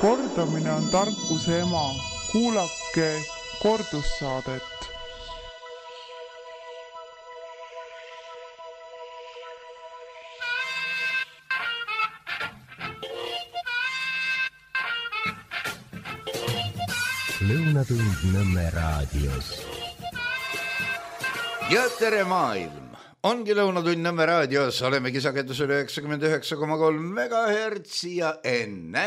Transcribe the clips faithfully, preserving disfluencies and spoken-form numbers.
Kordamine on tarkuse ema. Kuulake kordussaadet. Lõunatund Nõmme raadios. Ja tere maailm! Ongi Lõunatund Nõmme raadios, olemegi sagedusel üheksakümmend üheksa koma kolm megahertsi ja enne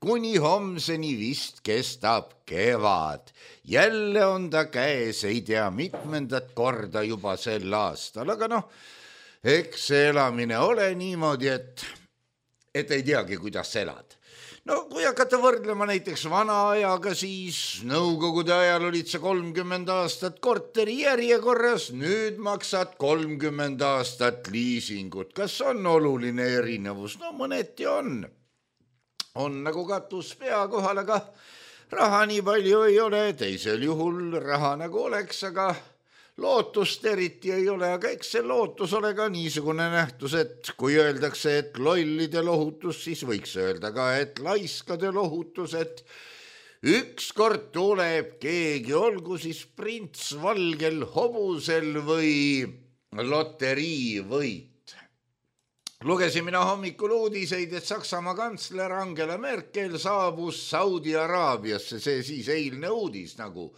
kuni homseni vist kestab kevad. Jälle on ta käes, ei tea mitmendat korda juba sel aastal, aga noh, eks elamine ole niimoodi, et, et ei teagi, kuidas elad. No kui hakata võrdlema näiteks vana ajaga, siis nõukogude ajal olid sa kolmkümmend aastat korteri järjekorras, nüüd maksad kolmkümmend aastat liisingut. Kas on oluline erinevus? No mõneti on. On nagu katus pea kohal, aga raha nii palju ei ole, teisel juhul raha nagu oleks, aga lootust eriti ei ole, aga eks see lootus ole ka niisugune nähtus, et kui öeldakse, et lollide lohutus, siis võiks öelda ka, et laiskade lohutus, et ükskord tuleb keegi, olgu siis prints valgel hobusel või loteriivõit. Lugesin mina hommikul uudiseid, et Saksamaa kantsler Angela Merkel saabus Saudi Araabiasse, see siis eilne uudis nagu,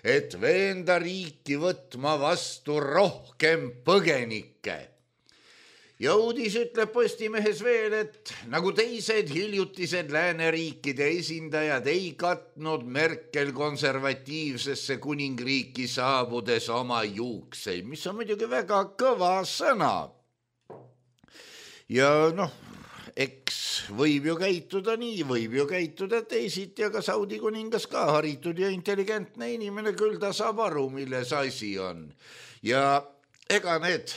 et veenda riiki võtma vastu rohkem põgenikke. Ja uudis ütleb Postimehes veel, et nagu teised hiljutised lääneriikide esindajad ei katnud Merkel konservatiivsesse kuningriiki saabudes oma juukseid, mis on muidugi väga kõva sõna. Ja noh, eks võib ju käituda nii, võib ju käituda teisiti, aga Saudi kuningas ka haritud ja intelligentne inimene, küll ta saab aru, milles asi on. Ja ega need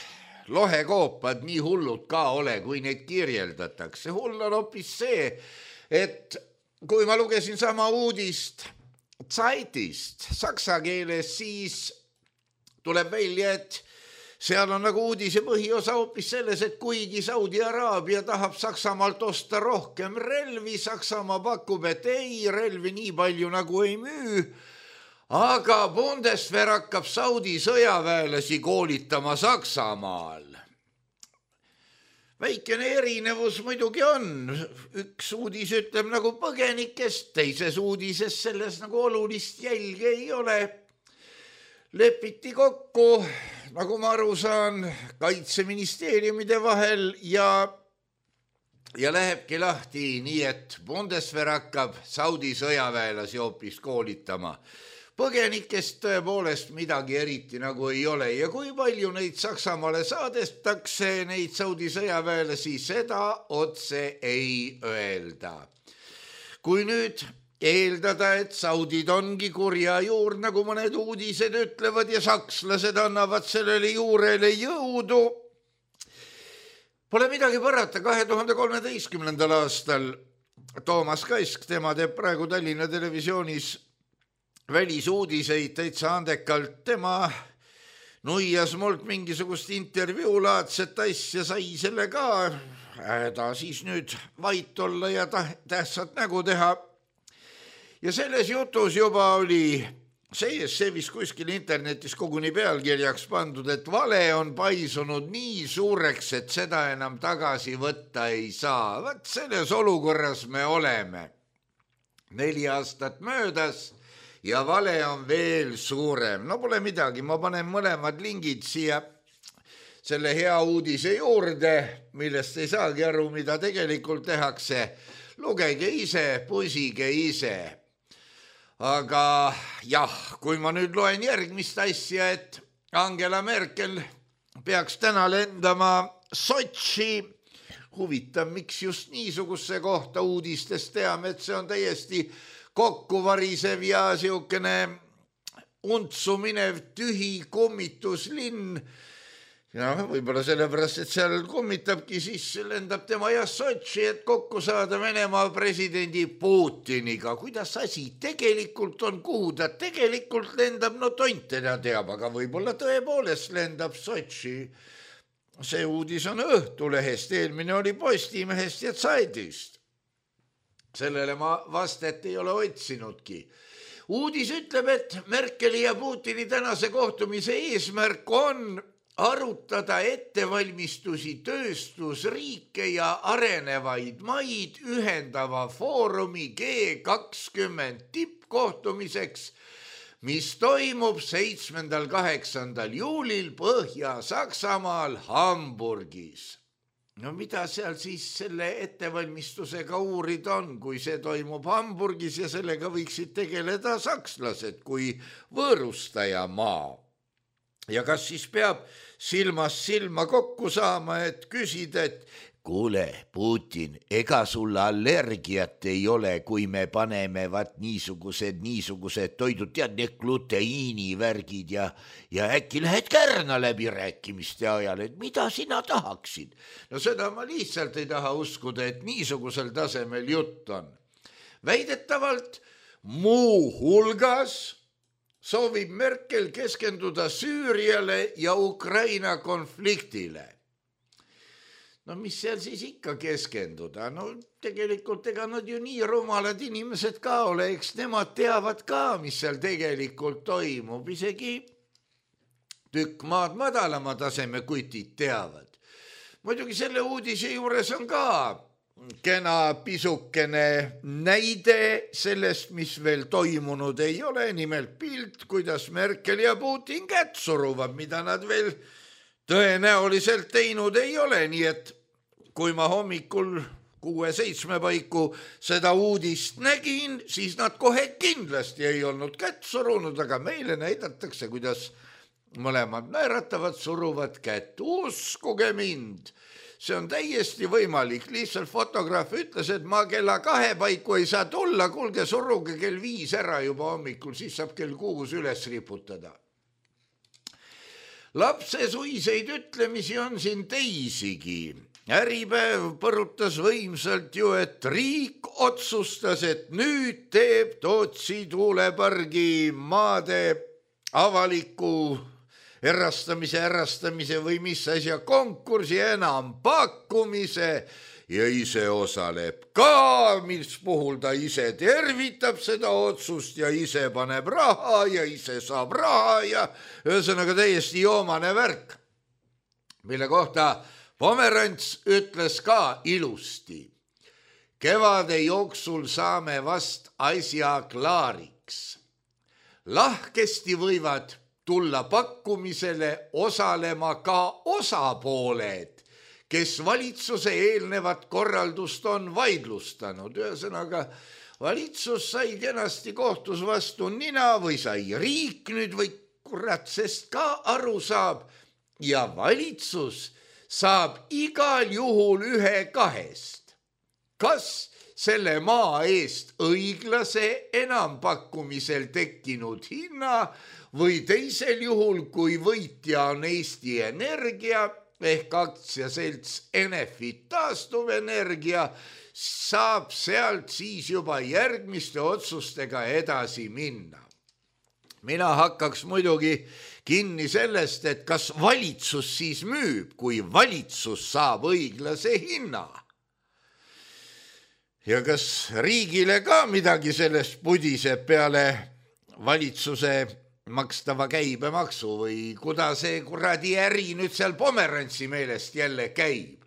lohekoopad nii hullud ka ole, kui neid kirjeldatakse. Hull on hoopis see, et kui ma lugesin sama uudist Zeitist saksa keeles, siis tuleb välja, et seal on nagu uudise põhiosa hoopis selles, et kuigi Saudi Araabia tahab Saksamaalt osta rohkem relvi, Saksamaa pakub, et ei, relvi nii palju nagu ei müü, aga Bundeswehr hakkab Saudi sõjaväelasi koolitama Saksamaal. Väikene erinevus muidugi on. Üks uudis ütleb nagu põgenikest, teises uudises selles nagu olulist jälge ei ole. Lepiti kokku, nagu ma aru saan, kaitseministeeriumide vahel ja, ja lähebki lahti nii, et Bundeswehr hakkab Saudi sõjaväelasi hoopis koolitama. Põgenikest tõepoolest midagi eriti nagu ei ole ja kui palju neid Saksamaale saadestakse, neid Saudi sõjaväelasi, seda otse ei öelda. Kui nüüd eeldada, et saudid ongi kurja juur, nagu mõned uudised ütlevad ja sakslased annavad sellele juurele jõudu. Pole midagi parata, kahe tuhande kolmeteistkümnendal aastal Toomas Kask, tema teeb praegu Tallinna televisioonis välisuudiseid täitsa andekalt, tema nuias mult mingisugust intervjuulaadset asja, sai selle ka, ta siis nüüd vait olla ja tähtsat nägu teha. Ja selles jutus juba oli sees, see vist kuskil internetis koguni pealkirjaks pandud, et vale on paisunud nii suureks, et seda enam tagasi võtta ei saa. Vaat selles olukorras me oleme. Neli aastat möödas ja vale on veel suurem. No pole midagi, ma panen mõlemad lingid siia selle hea uudise juurde, millest ei saagi aru, mida tegelikult tehakse. Lugege ise, pusige ise. Aga jah, kui ma nüüd loen järgmist asja, et Angela Merkel peaks täna lendama Sotši, huvitav, miks just niisuguse kohta uudistest teame, et see on täiesti kokkuvarisev ja siukene untsu minev tühi kommituslinn. Ja võib-olla sellepärast, et seal kommitabki, siis lendab tema ja Sotši, et kokku saada Venemaa presidendi Putiniga. Kuidas asi tegelikult on, kuhu ta tegelikult lendab, no tont teda teab, aga võib-olla tõepoolest lendab Sotši. See uudis on Õhtulehest, eelmine oli Postimehest ja Zeitist. sellele ma vastet ei ole otsinudki. Uudis ütleb, et Merkeli ja Putini tänase kohtumise eesmärk on arutada ettevalmistusi tööstusriike ja arenevaid maid ühendava foorumi G kakskümmend tippkohtumiseks, mis toimub seitsmendal kaheksandal juulil Põhja-Saksamaal Hamburgis. No mida seal siis selle ettevalmistusega uurida on, kui see toimub Hamburgis ja sellega võiksid tegeleda sakslased kui võõrustaja maa? Ja kas siis peab silmast silma kokku saama, et küsida, et kuule, Putin, ega sulle allergiat ei ole, kui me paneme vat niisugused, niisugused toidud, tead, need gluteiinivärgid ja, ja äkki lähed kärna läbi rääkimiste ajal, et mida sina tahaksid? No seda ma lihtsalt ei taha uskuda, et niisugusel tasemel jutt on. Väidetavalt muu hulgas soovib Merkel keskenduda Süüriale ja Ukraina konfliktile. No mis seal siis ikka keskenduda? No tegelikult ega nad ju nii rumalad inimesed ka ole, eks nemad teavad ka, mis seal tegelikult toimub. Isegi tükk maad madalama taseme kutid teavad. Muidugi selle uudise juures on ka kena pisukene näide sellest, mis veel toimunud ei ole, nimelt pilt, kuidas Merkel ja Putin kätt suruvad, mida nad veel tõenäoliselt teinud ei ole, nii et kui ma hommikul kuue-seitsme paiku seda uudist nägin, siis nad kohe kindlasti ei olnud kätt surunud, aga meile näidatakse, kuidas mõlemad naeratavad, suruvad kätt. Uskuge mind, see on täiesti võimalik. Lihtsalt fotograaf ütles, et ma kella kahe paiku ei saa tulla, kuulge, suruge kell viis ära juba hommikul, siis saab kell kuus üles riputada. Lapsesuiseid ütlemisi on siin teisigi. Äripäev põrutas võimsalt ju, et riik otsustas, et nüüd teeb Tootsi tuulepargi maade avaliku erastamise, ärastamise või mis asja konkursi enam pakkumise ja ise osaleb ka, mis puhul ta ise tervitab seda otsust ja ise paneb raha ja ise saab raha ja ühesõnaga täiesti joomane värk, mille kohta Pomerants ütles ka ilusti. Kevade jooksul saame vast asja klaariks. Lahkesti võivad tulla pakkumisele osalema ka osapooled, kes valitsuse eelnevat korraldust on vaidlustanud. Ühesõnaga, valitsus sai kenasti kohtus vastu nina või sai riik nüüd või kurat, sest ka aru saab ja valitsus saab igal juhul ühe kahest. Kas selle maa eest õiglase enampakkumisel tekkinud hinna või teisel juhul, kui võitja on Eesti Energia ehk aktsiaselts Enefit taastuvenergia, saab sealt siis juba järgmiste otsustega edasi minna. Mina hakkaks muidugi kinni sellest, et kas valitsus siis müüb, kui valitsus saab õiglase hinna. Ja kas riigile ka midagi sellest pudiseb peale valitsuse makstava käibemaksu või kuda see kuradi äri nüüd seal Pomerantsi meelest jälle käib.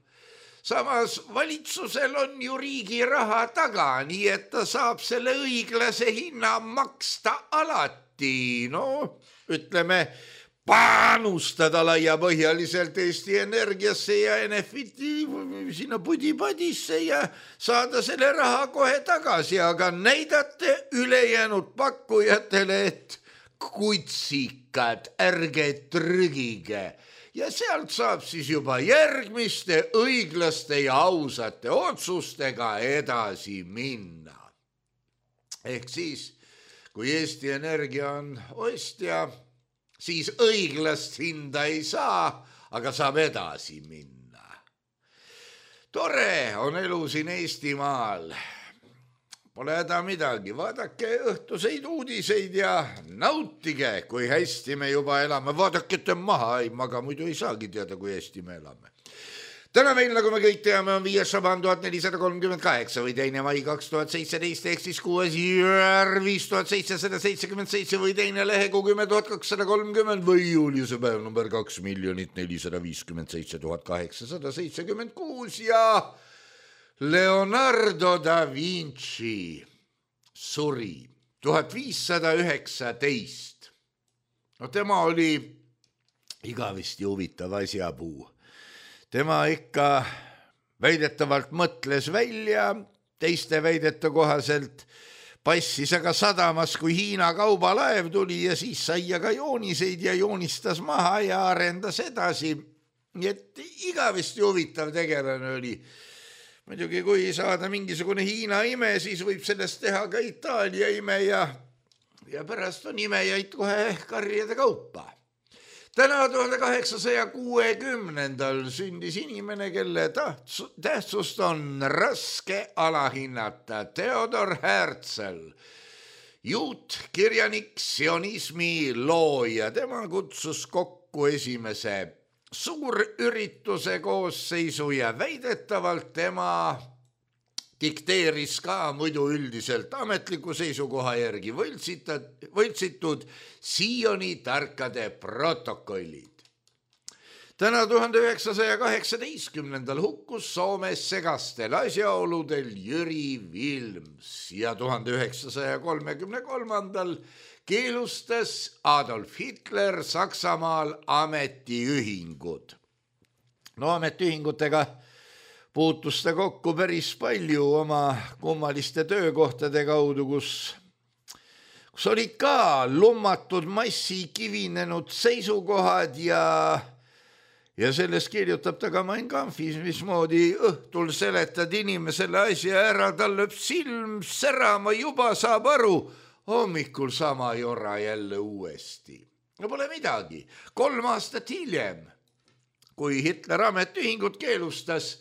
Samas valitsusel on ju riigi raha taga, nii et ta saab selle õiglase hinna maksta alati. No, ütleme, panustada laiapõhjaliselt Eesti Energiasse ja Enefiti sinna pudipadisse ja saada selle raha kohe tagasi, aga näidate ülejäänud pakkujatele, et kutsikad, ärge trügige. Ja sealt saab siis juba järgmiste õiglaste ja ausate otsustega edasi minna. Ehk siis, kui Eesti Energia on ostja, siis õiglast hinda ei saa, aga saab edasi minna. Tore on elu siin Eestimaal. Pole häda midagi, vaadake õhtuseid uudiseid ja nautige, kui hästi me juba elame. Vaadake, et maha ei maga, muidu ei saagi teada, kui hästi me elame. täna meil, nagu me kõik teame, on viies šaban tuhat nelisada kolmkümmend kaheksa või teine mai kaks tuhat seitseteist ehk siis kuues jüär viis tuhat seitsesada seitsekümmend seitse või teine lehekuu kümme tuhat kakssada kolmkümmend või juuliuse päev number kaks miljonit nelisada viiskümmend seitse tuhat kaheksasada seitsekümmend kuus ja Leonardo da Vinci suri tuhat viissada üheksateist. No tema oli igavesti huvitav asjapuu. Tema ikka väidetavalt mõtles välja, teiste väidete kohaselt passis aga sadamas, kui Hiina kaubalaev tuli ja siis sai aga jooniseid ja joonistas maha ja arendas edasi. Nii et igavesti huvitav tegelane oli. Muidugi kui saada mingisugune Hiina ime, siis võib sellest teha ka Itaalia ime ja, ja pärast on imejaid kohe karjade kaupa. Täna tuhande kaheksasaja kuuekümnendal sündis inimene, kelle tähtsust on raske alahinnata. Theodor Herzl, juutkirjanik, sionismi looja. Tema kutsus kokku esimese suurürituse koosseisu ja väidetavalt tema dikteeris ka muidu üldiselt ametliku seisukoha järgi võltsitud, võltsitud Sioni tarkade protokollid. Täna tuhande üheksasaja kaheksateistkümnendal hukkus Soomes segastel asjaoludel Jüri Vilms ja tuhande üheksasaja kolmekümne kolmandal keelustas Adolf Hitler Saksamaal ametiühingud. No ametiühingutega puutus ta kokku päris palju oma kummaliste töökohtade kaudu, kus, kus olid ka lummatud massi kivinenud seisukohad ja, ja sellest kirjutab ta ka Mein Kampfis, mismoodi õhtul seletad inimesele asja ära, tal lööb silm särama, juba saab aru, hommikul sama jora jälle uuesti. No pole midagi, kolm aastat hiljem, kui Hitler ametiühingut keelustas,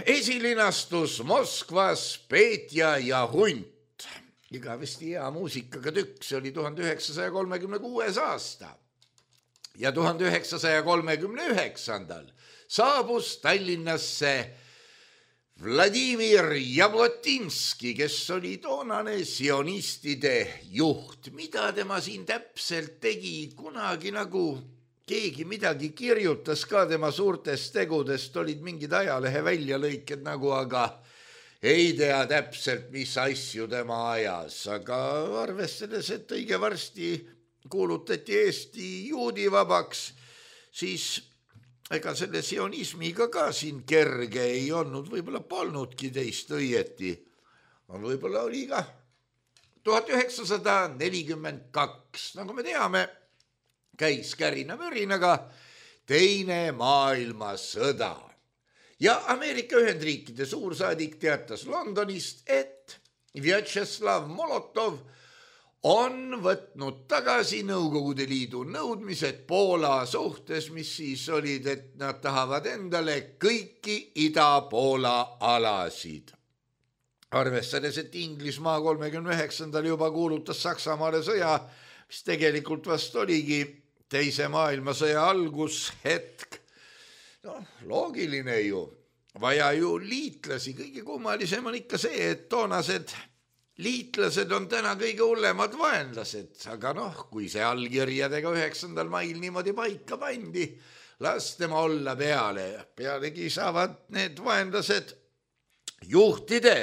esilinastus Moskvas Petja ja Hunt. Igavesti hea muusikaga tükk, see oli tuhande üheksasaja kolmekümne kuues aasta. Ja tuhande üheksasaja kolmekümne üheksandal saabus Tallinnasse Vladimir Jablotinski, kes oli toonane sionistide juht. Mida tema siin täpselt tegi, kunagi nagu keegi midagi kirjutas ka tema suurtest tegudest, olid mingid ajalehe väljalõiked nagu, aga ei tea täpselt, mis asju tema ajas. Aga arvestades, et õige varsti kuulutati Eesti juudivabaks, siis ega selle sionismiga ka siin kerge ei olnud, võib-olla polnudki teist õieti. Võib-olla oli ka tuhat üheksasada nelikümmend kaks, nagu me teame, käis kärina-mürinaga teine maailmasõda. Ja Ameerika Ühendriikide suursaadik teatas Londonist, et Vjatšeslav Molotov on võtnud tagasi Nõukogude Liidu nõudmised Poola suhtes, mis siis olid, et nad tahavad endale kõiki Ida-Poola alasid. Arvestades, et Inglismaa kolmekümne üheksandal juba kuulutas Saksamaale sõja, mis tegelikult vast oligi teise maailmasõja algushetk. No, loogiline ju, vaja ju liitlasi, kõige kummalisem on ikka see, et toonased liitlased on täna kõige hullemad vaenlased, aga noh, kui see allkirjadega üheksandal mail niimoodi paika pandi, las tema olla peale. Pealegi saavad need vaenlased juhtide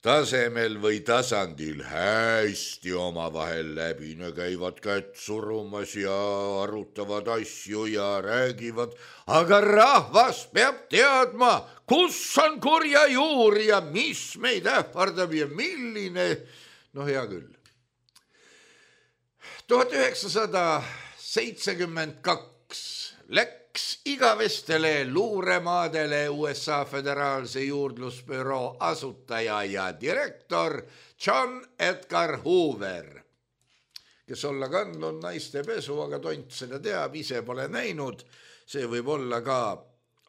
tasemel või tasandil hästi omavahel läbi, ne käivad kätt surumas ja arutavad asju ja räägivad, aga rahvas peab teadma, kus on kurja juur ja mis meid ähvardab ja milline, no hea küll. tuhat üheksasada seitsekümmend kaks läks igavestele luuremaadele U S A Föderaalse juurdlusbüroo asutaja ja direktor John Edgar Hoover, kes olla kandnud naiste pesu, aga tont seda teab, ise pole näinud. See võib olla ka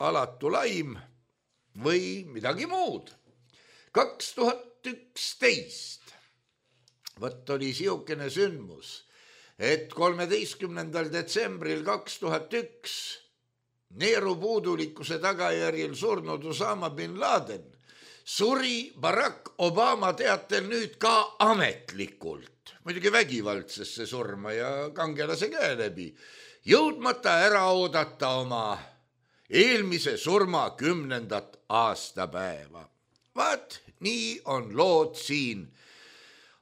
alatu laim või midagi muud. kaks tuhat üksteist võtt oli siukene sündmus, et kolmeteistkümnendal detsembril kaks tuhat üks neerupuudulikkuse tagajärjel surnud Osama bin Laden suri Barack Obama teatel nüüd ka ametlikult, muidugi vägivaldsesse surma ja kangelase käe läbi, jõudmata ära oodata oma eelmise surma kümnendat aastapäeva. Vaat nii on lood siin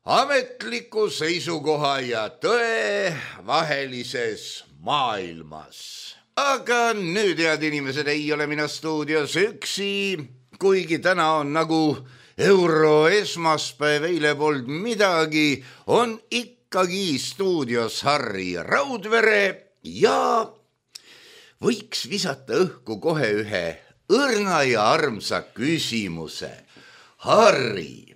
ametliku seisukoha ja tõe vahelises maailmas. Aga nüüd, head inimesed, ei ole mina stuudios üksi, kuigi täna on nagu euro esmaspäev, eile polnud midagi, on ikkagi stuudios Harri Raudvere ja võiks visata õhku kohe ühe õrna ja armsa küsimuse. Harri,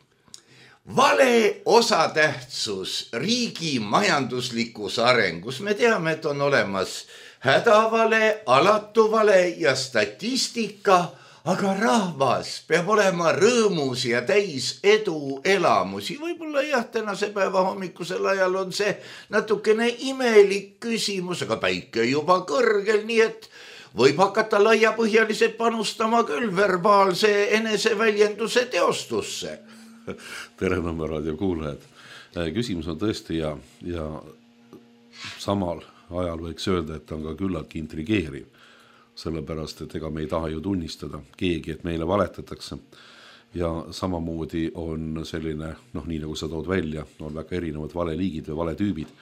vale osatähtsus riigi majanduslikus arengus. Me teame, et on olemas hädavale, alatuvale ja statistika, aga rahvas peab olema rõõmus ja täis edu elamusi. Võib-olla jah, tänase päeva hommikusel ajal on see natukene imelik küsimus, aga päike juba kõrgel, nii et võib hakata laiapõhjaliselt panustama küll verbaalse eneseväljenduse teostusse. Tere Nõmme raadio kuulajad. Küsimus on tõesti ja, ja samal ajal võiks öelda, et on ka küllaltki intrigeeriv. Sellepärast, et ega me ei taha ju tunnistada keegi, et meile valetatakse. Ja samamoodi on selline, noh nii nagu sa tood välja, on väga erinevad valeliigid või valetüübid,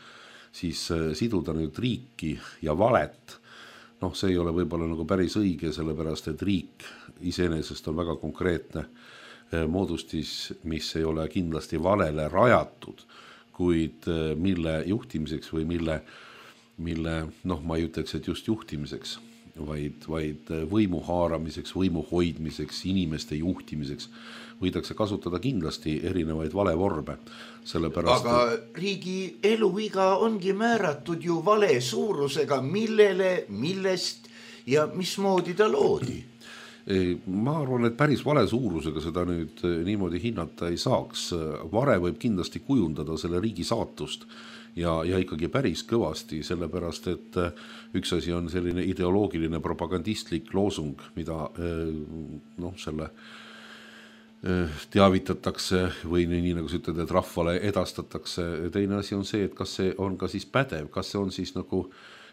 siis siduda nüüd riiki ja valet, noh see ei ole võib-olla nagu päris õige, sellepärast, et riik iseenesest on väga konkreetne moodustis, mis ei ole kindlasti valele rajatud, kuid mille juhtimiseks või mille, mille noh ma ei ütleks, et just juhtimiseks, vaid, vaid võimu haaramiseks, võimu hoidmiseks, inimeste juhtimiseks võidakse kasutada kindlasti erinevaid valevorme. Sellepärast, aga riigi eluiga ongi määratud ju vale suurusega, millele, millest ja mismoodi ta loodi. Ma arvan, et päris vale suurusega seda nüüd niimoodi hinnata ei saaks. Vare võib kindlasti kujundada selle riigi saatust ja, ja ikkagi päris kõvasti, sellepärast, et üks asi on selline ideoloogiline propagandistlik loosung, mida noh, selle teavitatakse või nii nagu sa ütled, et rahvale edastatakse. Teine asi on see, et kas see on ka siis pädev, kas see on siis nagu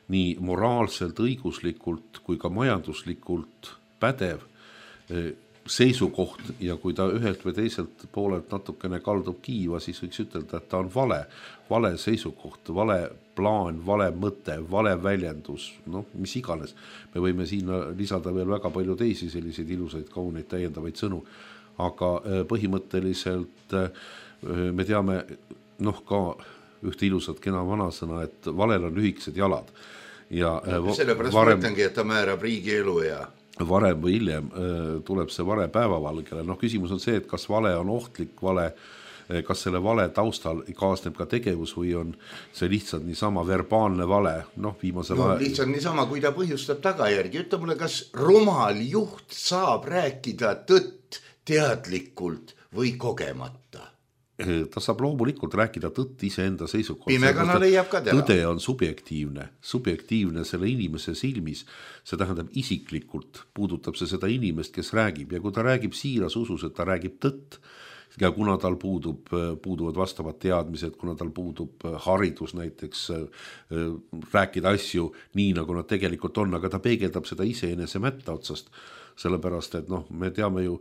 nii moraalselt, õiguslikult kui ka majanduslikult pädev seisukoht ja kui ta ühelt või teiselt poolelt natukene kaldub kiiva, siis võiks ütelda, et ta on vale, vale seisukoht, vale plaan, vale mõte, vale väljendus, noh, mis iganes. Me võime siin lisada veel väga palju teisi selliseid ilusaid, kauneid, täiendavaid sõnu, aga põhimõtteliselt me teame noh ka ühte ilusat kena vanasõna, et valel on lühikesed jalad. Ja sellepärast varem... mõtlengi, et ta määrab riigi elu ja varem või hiljem tuleb see vale päevavalgele. Noh, küsimus on see, et kas vale on ohtlik vale, kas selle vale taustal kaasneb ka tegevus või on see lihtsalt niisama verbaalne vale. Noh, viimasel no, ajal... lihtsalt niisama, kui ta põhjustab tagajärgi. Ütle mulle, kas rumal juht saab rääkida tõtt teadlikult või kogemata? Ta saab loomulikult rääkida tõtt iseenda seisukohast. Pimekana leiab ka teda. Tõde on subjektiivne, subjektiivne selle inimese silmis. See tähendab isiklikult, puudutab see seda inimest, kes räägib. Ja kui ta räägib siiras usus, et ta räägib tõtt, ja kuna tal puudub, puuduvad vastavad teadmised, kuna tal puudub haridus näiteks rääkida asju nii, nagu nad tegelikult on, aga ta peegeldab seda iseenese mätta otsast. Sellepärast, et noh, me teame ju,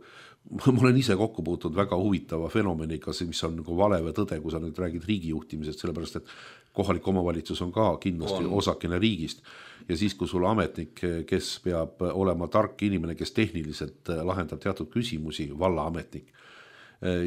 ma olen ise kokku puutud väga huvitava fenomeniga, mis on nagu vale või tõde, kui sa nüüd räägid riigijuhtimisest, sellepärast, et kohalik omavalitsus on ka kindlasti on. Osakene riigist. Ja siis, kui sul ametnik, kes peab olema tark inimene, kes tehniliselt lahendab teatud küsimusi, vallaametnik,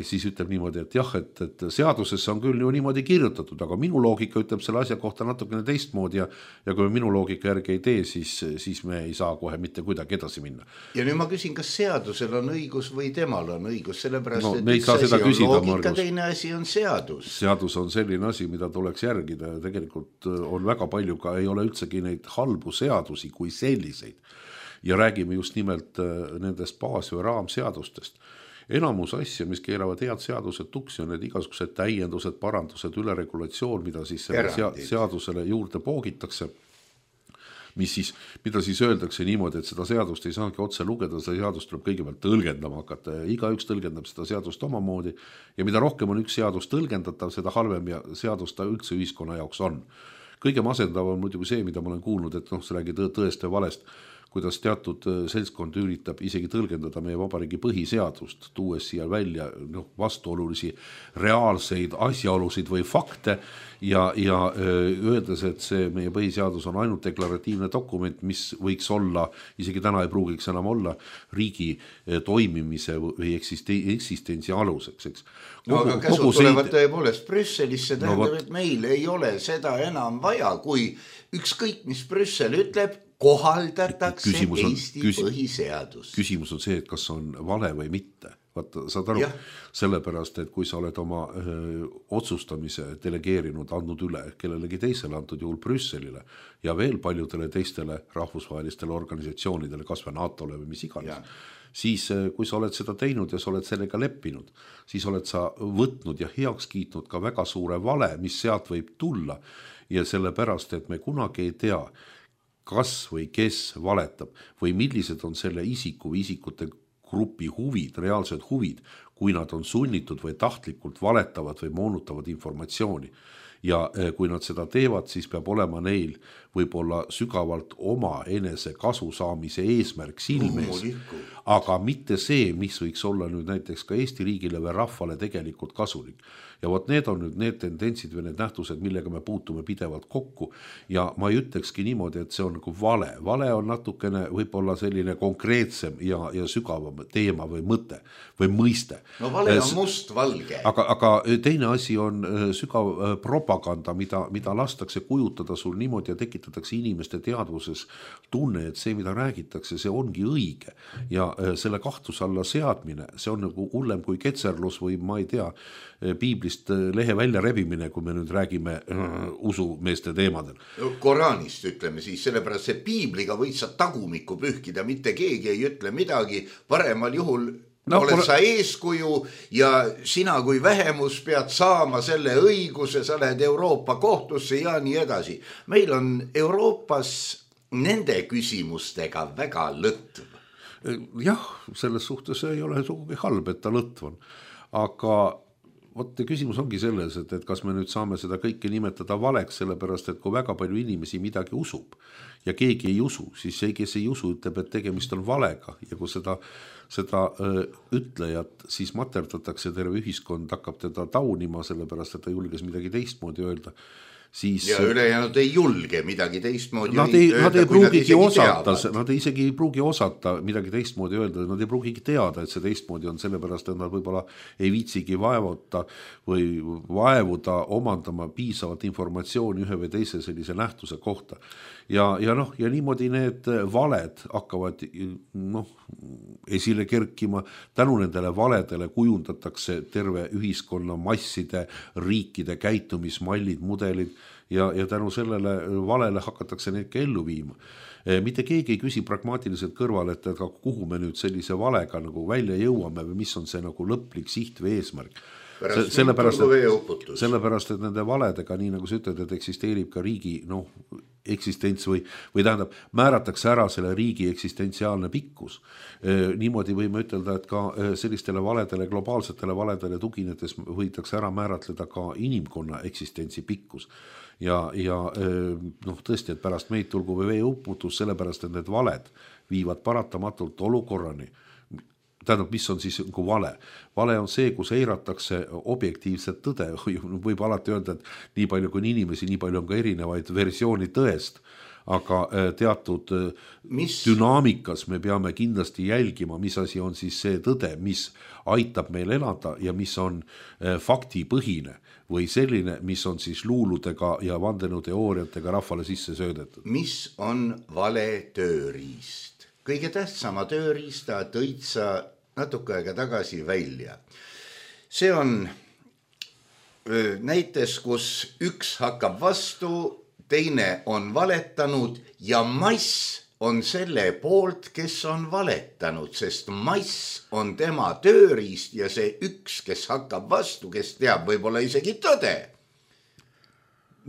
siis ütleb niimoodi, et jah, et, et seadusesse on küll ju niimoodi kirjutatud, aga minu loogika ütleb selle asja kohta natukene teistmoodi ja, ja kui minu loogika järgi ei tee, siis, siis me ei saa kohe mitte kuidagi edasi minna. Ja nüüd ma küsin, kas seadusel on õigus või temal on õigus, sellepärast, no, et üks asi on küsida, loogika, Margus. Teine asi on seadus. Seadus on selline asi, mida tuleks järgida ja tegelikult on väga palju ka, ei ole üldsegi neid halbu seadusi kui selliseid. Ja räägime just nimelt nendest baas- või raamseadustest. Enamus asja, mis keeravad head seadused tuksi, on need igasugused täiendused, parandused, üleregulatsioon, mida siis seadusele juurde poogitakse. mis siis, mida siis öeldakse niimoodi, et seda seadust ei saagi otse lugeda, seda seadust tuleb kõigepealt tõlgendama hakata ja igaüks tõlgendab seda seadust omamoodi ja mida rohkem on üks seadus tõlgendatav, seda halvem ja seadus ta üldse ühiskonna jaoks on. Kõige masendav on muidugi see, mida ma olen kuulnud, et noh, see räägi tõest või valest, kuidas teatud seltskond üritab isegi tõlgendada meie vabariigi põhiseadust, tuues siia välja noh, vastuolulisi reaalseid asjaolusid või fakte ja, ja öeldes, et see meie põhiseadus on ainult deklaratiivne dokument, mis võiks olla, isegi täna ei pruugiks enam olla, riigi toimimise või eksistentsi aluseks. Eks. Kogu, no aga käsud tulevad tõepoolest Brüsselisse, tähendab, no, et meil ei ole seda enam vaja, kui ükskõik, mis Brüssel ütleb, kohaldatakse on, Eesti küs, põhiseadust. Küsimus on see, et kas on vale või mitte. Vaata, saad aru, ja. Sellepärast, et kui sa oled oma öö, otsustamise delegeerinud, andnud üle kellelegi teisele, antud juhul Brüsselile ja veel paljudele teistele rahvusvahelistele organisatsioonidele, kas või NATOle või mis iganes, ja. Siis kui sa oled seda teinud ja sa oled sellega leppinud, siis oled sa võtnud ja heaks kiitnud ka väga suure vale, mis sealt võib tulla ja sellepärast, et me kunagi ei tea, kas või kes valetab või millised on selle isiku või isikute grupi huvid, reaalsed huvid, kui nad on sunnitud või tahtlikult valetavad või moonutavad informatsiooni. Ja kui nad seda teevad, siis peab olema neil võib-olla sügavalt oma enese kasu saamise eesmärk silmes, aga mitte see, mis võiks olla nüüd näiteks ka Eesti riigile või rahvale tegelikult kasulik. Ja vot need on nüüd need tendentsid või need nähtused, millega me puutume pidevalt kokku ja ma ei ütlekski niimoodi, et see on nagu vale. Vale on natukene võib-olla selline konkreetsem ja, ja sügavam teema või mõte või mõiste. No vale on must-valge. Aga, aga teine asi on sügav propaganda, mida, mida lastakse kujutada sul niimoodi ja tekitatakse inimeste teadvuses tunne, et see, mida räägitakse, see ongi õige. Ja selle kahtluse alla seadmine, see on nagu hullem kui ketserlus või ma ei tea, piiblist lehe välja rebimine, kui me nüüd räägime äh, usumeeste teemadel. Koraanist ütleme siis, sellepärast see piibliga võid sa tagumikku pühkida, mitte keegi ei ütle midagi, paremal juhul no, oled pole... sa eeskuju ja sina kui vähemus pead saama selle õiguse, sa lähed Euroopa kohtusse ja nii edasi. Meil on Euroopas nende küsimustega väga lõtv. Jah, selles suhtes ei ole sugugi halb, et ta lõtv on, aga vot küsimus ongi selles, et, et kas me nüüd saame seda kõike nimetada valeks, sellepärast, et kui väga palju inimesi midagi usub ja keegi ei usu, siis see, kes ei usu, ütleb, et tegemist on valega ja kui seda, seda öö, ütlejat siis materdatakse, terve ühiskond hakkab teda taunima, sellepärast, et ta julges midagi teistmoodi öelda. Siis, ja ülejäänud ei julge midagi teistmoodi nad ei, öelda, nad ei pruugigi osata, nad ei isegi ei pruugi osata midagi teistmoodi öelda, nad ei pruugigi teada, et see teistmoodi on, sellepärast, et nad võib-olla ei viitsigi vaevuta või vaevuda omandama piisavat informatsiooni ühe või teise sellise nähtuse kohta. Ja, ja, noh, ja niimoodi need valed hakkavad noh, esile kerkima, tänu nendele valedele kujundatakse terve ühiskonna masside, riikide käitumismallid, mudelid ja, ja tänu sellele valele hakatakse neid ka ellu viima. Mitte keegi ei küsi pragmaatiliselt kõrval, et kuhu me nüüd sellise valega nagu välja jõuame või mis on see nagu lõplik siht või eesmärk. Sellepärast, et, sellepärast, et nende valedega, nii nagu sa ütled, et eksisteerib ka riigi noh, eksistents või, või tähendab, määratakse ära selle riigi eksistentsiaalne pikkus. E, niimoodi võime ütelda, et ka sellistele valedele, globaalsetele valedele tuginedes võidakse ära määratleda ka inimkonna eksistentsi pikkus. Ja, ja noh, tõesti, et pärast meid tulgu või veeuputus, sellepärast, et need valed viivad paratamatult olukorrani. Tähendab, mis on siis nagu vale? Vale on see, kus eiratakse objektiivset tõde. Võib alati öelda, et nii palju kui inimesi, nii palju on ka erinevaid versiooni tõest. Aga teatud mis? Dünaamikas me peame kindlasti jälgima, mis asi on siis see tõde, mis aitab meil elada ja mis on faktipõhine või selline, mis on siis luuludega ja vandenõuteooriatega rahvale sisse söödetud. Mis on vale tööriist? Kõige tähtsama tööriista tõid sa natuke aega tagasi välja. See on näites, kus üks hakkab vastu, teine on valetanud ja mass on selle poolt, kes on valetanud, sest mass on tema tööriist ja see üks, kes hakkab vastu, kes teab võib-olla isegi tõde,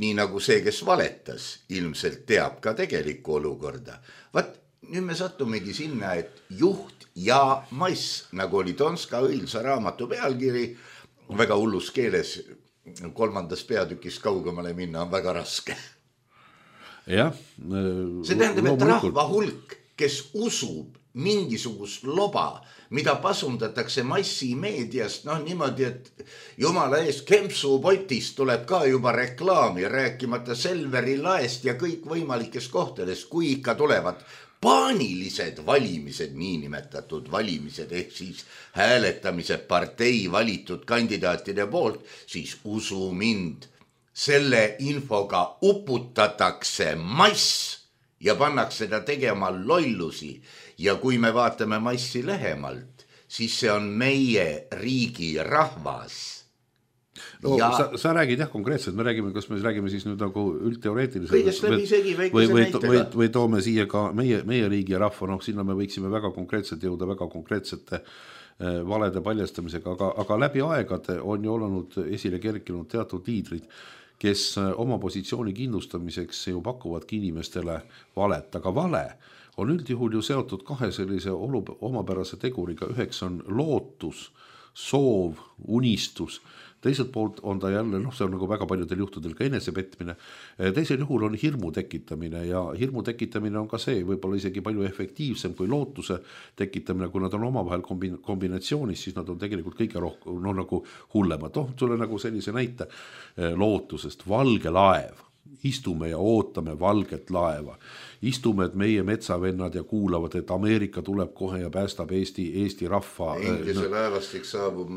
nii nagu see, kes valetas, ilmselt teab ka tegelikku olukorda. Vat nüüd me sattumegi sinna, et juht ja mass, nagu oli Donska õilsa raamatu pealkiri, väga hullus keeles, kolmandas peatükis kaugemale minna on väga raske. jah. See tähendab, et rahva hulk, kes usub mingisugust loba, mida pasundatakse massimeediast, noh niimoodi, et jumala eest kempsupotist tuleb ka juba reklaami, rääkimata Selveri laest ja kõik võimalikest kohtadest, kui ikka tulevad paanilised valimised, niinimetatud valimised, ehk siis hääletamise partei valitud kandidaatide poolt, siis usu mind, selle infoga uputatakse mass ja pannakse seda tegema lollusi. Ja kui me vaatame massi lähemalt, siis see on meie riigi rahvas. No, ja... sa, sa räägid jah konkreetselt, me räägime, kas me räägime siis nüüd nagu üldteoreetiliselt kõigest läbi segi või, või, või, või toome siia ka meie, meie riigi ja rahva, noh sinna me võiksime väga konkreetselt jõuda väga konkreetsete äh, valede paljastamisega, aga, aga läbi aegade on ju olnud esile kerkinud teatud liidrid, kes oma positsiooni kindlustamiseks ju pakuvadki inimestele valet, aga vale on üldjuhul ju seotud kahe sellise olu, omapärase teguriga, üheks on lootus, soov, unistus, teiselt poolt on ta jälle, noh see on nagu väga paljudel juhtudel ka enesepetmine, teisel juhul on hirmu tekitamine ja hirmu tekitamine on ka see võib-olla isegi palju efektiivsem kui lootuse tekitamine, kui nad on omavahel kombinatsioonis, siis nad on tegelikult kõige rohkem, no nagu hullemad, oh tule nagu sellise näite lootusest, valge laev, istume ja ootame valget laeva. Istume, et meie metsavennad ja kuulavad, et Ameerika tuleb kohe ja päästab Eesti, Eesti rahva. Inglise no, laevastik saabub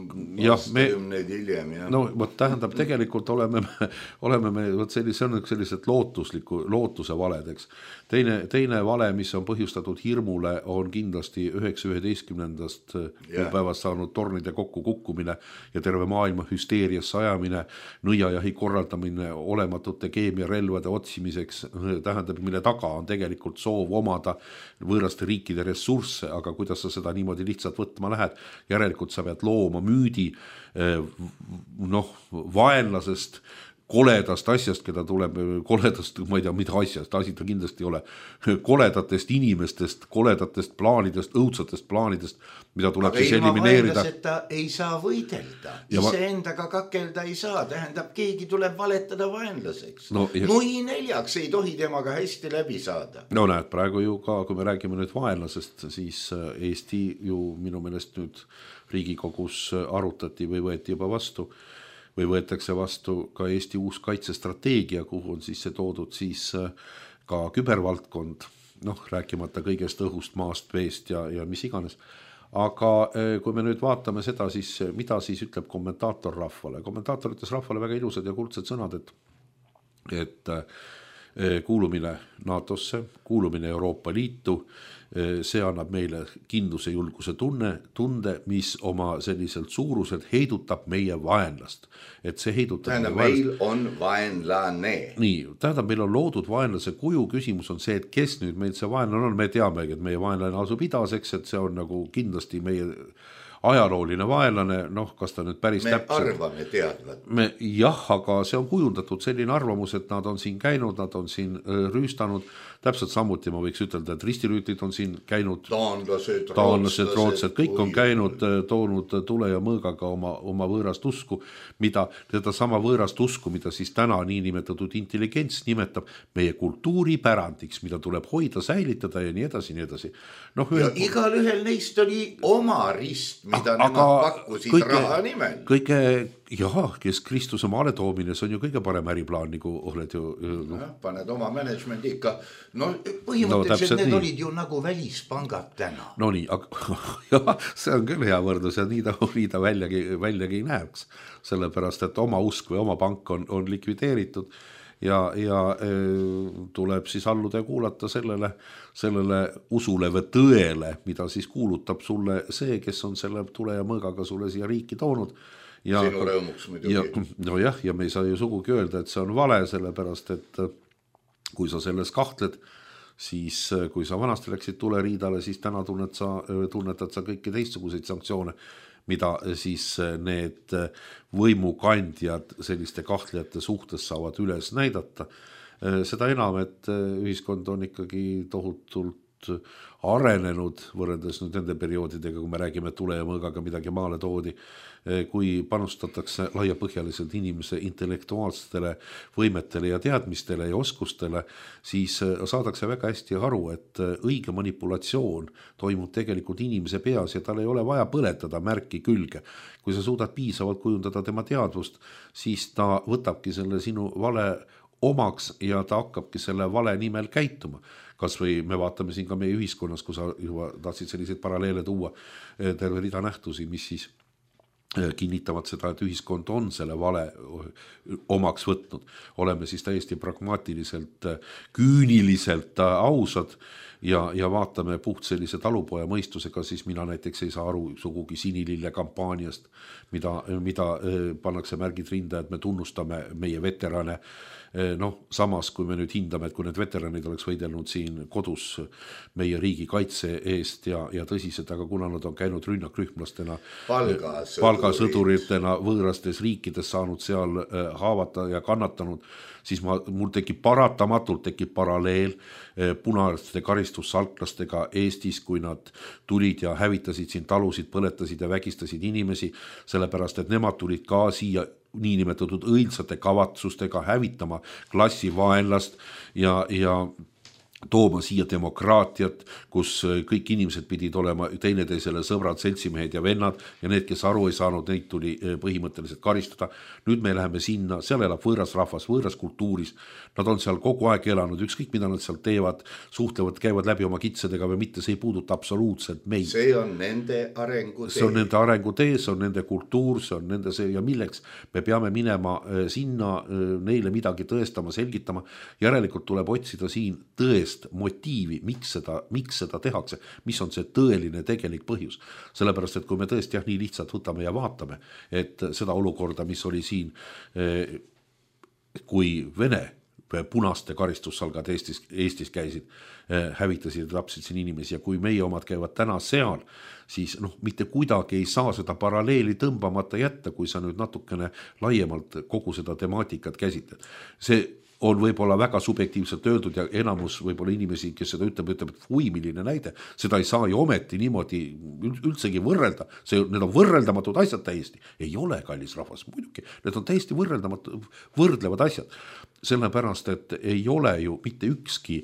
aastakümneid hiljem. Ja. No võt tähendab, tegelikult oleme me, oleme me võt sellise, see on sellised lootusliku, lootuse valedeks. Teine, teine vale, mis on põhjustatud hirmule, on kindlasti üheksa üheteistkümnendast yeah. päevast saanud tornide kokku kukkumine ja terve maailma hüsteerias sajamine, nõiajahi korraldamine olematute keemiarelvade otsimiseks, tähendab, mille taga on tegelikult soov omada võõraste riikide ressursse, aga kuidas sa seda niimoodi lihtsalt võtma lähed, järelikult sa pead looma müüdi noh, vaenlasest, koledast asjast, keda tuleb koledast, ma ei tea, mida asjast, asi ta kindlasti ei ole, koledatest inimestest, koledatest plaanidest, õudsatest plaanidest, mida tuleb aga siis elimineerida. Aga ilma vaenlaseta ei saa võidelda, ise endaga kakelda ei saa, tähendab, keegi tuleb valetada vaenlaseks. No, ja... Nui neljaks ei tohi temaga hästi läbi saada. No näed, praegu ju ka, kui me räägime nüüd vaenlasest, siis Eesti ju minu meelest nüüd Riigikogus arutati või võeti juba vastu või võetakse vastu ka Eesti uus kaitsestrateegia, kuhu on siis see toodud siis ka kübervaldkond, noh, rääkimata kõigest õhust, maast, veest ja, ja mis iganes. Aga kui me nüüd vaatame seda, siis mida siis ütleb kommentaator rahvale? Kommentaator ütles rahvale väga ilusad ja kuldsed sõnad, et, et kuulumine NATOsse, kuulumine Euroopa Liitu, see annab meile kindluse julguse tunne, tunde, mis oma selliselt suuruselt heidutab meie vaenlast. Et see heidutab tähendab, meil on vaenlane. Nii, tähendab, meil on loodud vaenlase kuju, küsimus on see, et kes nüüd meil see vaenlane on, me teame, et meie vaenlane asub idaseks, et see on nagu kindlasti meie ajalooline vaenlane, noh, kas ta nüüd päris me täpselt. Me arvame teadvat. Me, jah, aga see on kujundatud selline arvamus, et nad on siin käinud, nad on siin rüüstanud, täpselt samuti ma võiks ütelda, et ristirüütlid on siin käinud, taanlased, taanlased, rootsed, kõik on käinud, toonud tule ja mõõgaga oma, oma võõrast usku, mida, seda sama võõrast usku, mida siis täna niinimetatud intelligents nimetab meie kultuuripärandiks, mida tuleb hoida, säilitada ja nii edasi, nii edasi. No, ühe... ja igal ühel neist oli oma rist, mida aga, nemad pakkusid kõige, raha nimel. Kõige, jah, kes Kristuse maale toomine, see on ju kõige parem äriplaan, nagu oled ju... No. Ja, paned oma management ikka. No põhimõtteliselt no, need nii. Olid ju nagu välispangad täna. No nii, aga jah, see on küll hea võrdlus ja nii ta, nii ta väljagi, väljagi ei näeks. Sellepärast, et oma usk või oma pank on, on likvideeritud ja, ja e, tuleb siis alluda ja kuulata sellele, sellele usule või tõele, mida siis kuulutab sulle see, kes on selle tule ja mõõgaga sulle siia riiki toonud. Ja, sinu rõõmuks muidugi. No jah, ja me ei saa ju sugugi öelda, et see on vale, sellepärast, et kui sa selles kahtled, siis kui sa vanasti läksid tuleriidale, siis täna tunned sa, tunnetad sa kõiki teistsuguseid sanktsioone, mida siis need võimukandjad selliste kahtlejate suhtes saavad üles näidata. Seda enam, et ühiskond on ikkagi tohutult arenenud võrreldes nüüd nende perioodidega, kui me räägime tule ja mõõgaga midagi maale toodi, kui panustatakse laiapõhjaliselt inimese intellektuaalsetele võimetele ja teadmistele ja oskustele, siis saadakse väga hästi aru, et õige manipulatsioon toimub tegelikult inimese peas ja tal ei ole vaja põletada märki külge. Kui sa suudad piisavalt kujundada tema teadvust, siis ta võtabki selle sinu vale omaks ja ta hakkabki selle vale nimel käituma. Kas või me vaatame siin ka meie ühiskonnas, kui sa juba tahtsid selliseid paralleele tuua, terve rida nähtusi, mis siis kinnitavad seda, et ühiskond on selle vale omaks võtnud. Oleme siis täiesti pragmaatiliselt, küüniliselt ausad ja, ja vaatame puht sellise talupoja mõistusega, siis mina näiteks ei saa aru sugugi sinilille kampaaniast, mida, mida pannakse märgid rinda, et me tunnustame meie veterane. Noh, samas kui me nüüd hindame, et kui need veteranid oleks võidelnud siin kodus meie riigi kaitse eest ja, ja tõsiselt, aga kuna nad on käinud rünnakrühmlastena, palgasõduritena võõrastes riikides saanud seal haavata ja kannatanud, siis ma, mul tekib paratamatult tekib paralleel punaste karistussalklastega Eestis, kui nad tulid ja hävitasid siin talusid, põletasid ja vägistasid inimesi, sellepärast et nemad tulid ka siia niinimetatud õilsate kavatsustega hävitama klassivaenlast ja, ja tooma siia demokraatiat, kus kõik inimesed pidid olema teineteisele sõbrad, seltsimehed ja vennad ja need, kes aru ei saanud, neid tuli põhimõtteliselt karistada. Nüüd me läheme sinna, seal elab võõras rahvas, võõras kultuuris. Nad on seal kogu aeg elanud, ükskõik mida nad seal teevad, suhtlevad, käivad läbi oma kitsedega või mitte, see ei puuduta absoluutselt meid. See on nende arengutee. See on nende arengutee, see on nende kultuur, see on nende see ja milleks me peame minema sinna neile midagi tõestama, selgitama. Järelikult tuleb otsida siin tõest motiivi, miks seda, miks seda tehakse, mis on see tõeline tegelik põhjus. Sellepärast, et kui me tõesti jah, nii lihtsalt võtame ja vaatame, et seda olukorda, mis oli siin, kui Vene punaste karistussalgad Eestis, Eestis käisid, hävitasid ja tapsid siin inimesi ja kui meie omad käivad täna seal, siis noh, mitte kuidagi ei saa seda paralleeli tõmbamata jätta, kui sa nüüd natukene laiemalt kogu seda temaatikat käsitled. See on võib-olla väga subjektiivselt öeldud ja enamus võib-olla inimesi, kes seda ütleb, ütleb, et või milline näide, seda ei saa ju ometi niimoodi üldsegi võrrelda, see, need on võrreldamatud asjad täiesti, ei ole kallis rahvas, muidugi, need on täiesti võrreldamatud, võrdlevad asjad, sellepärast, et ei ole ju mitte ükski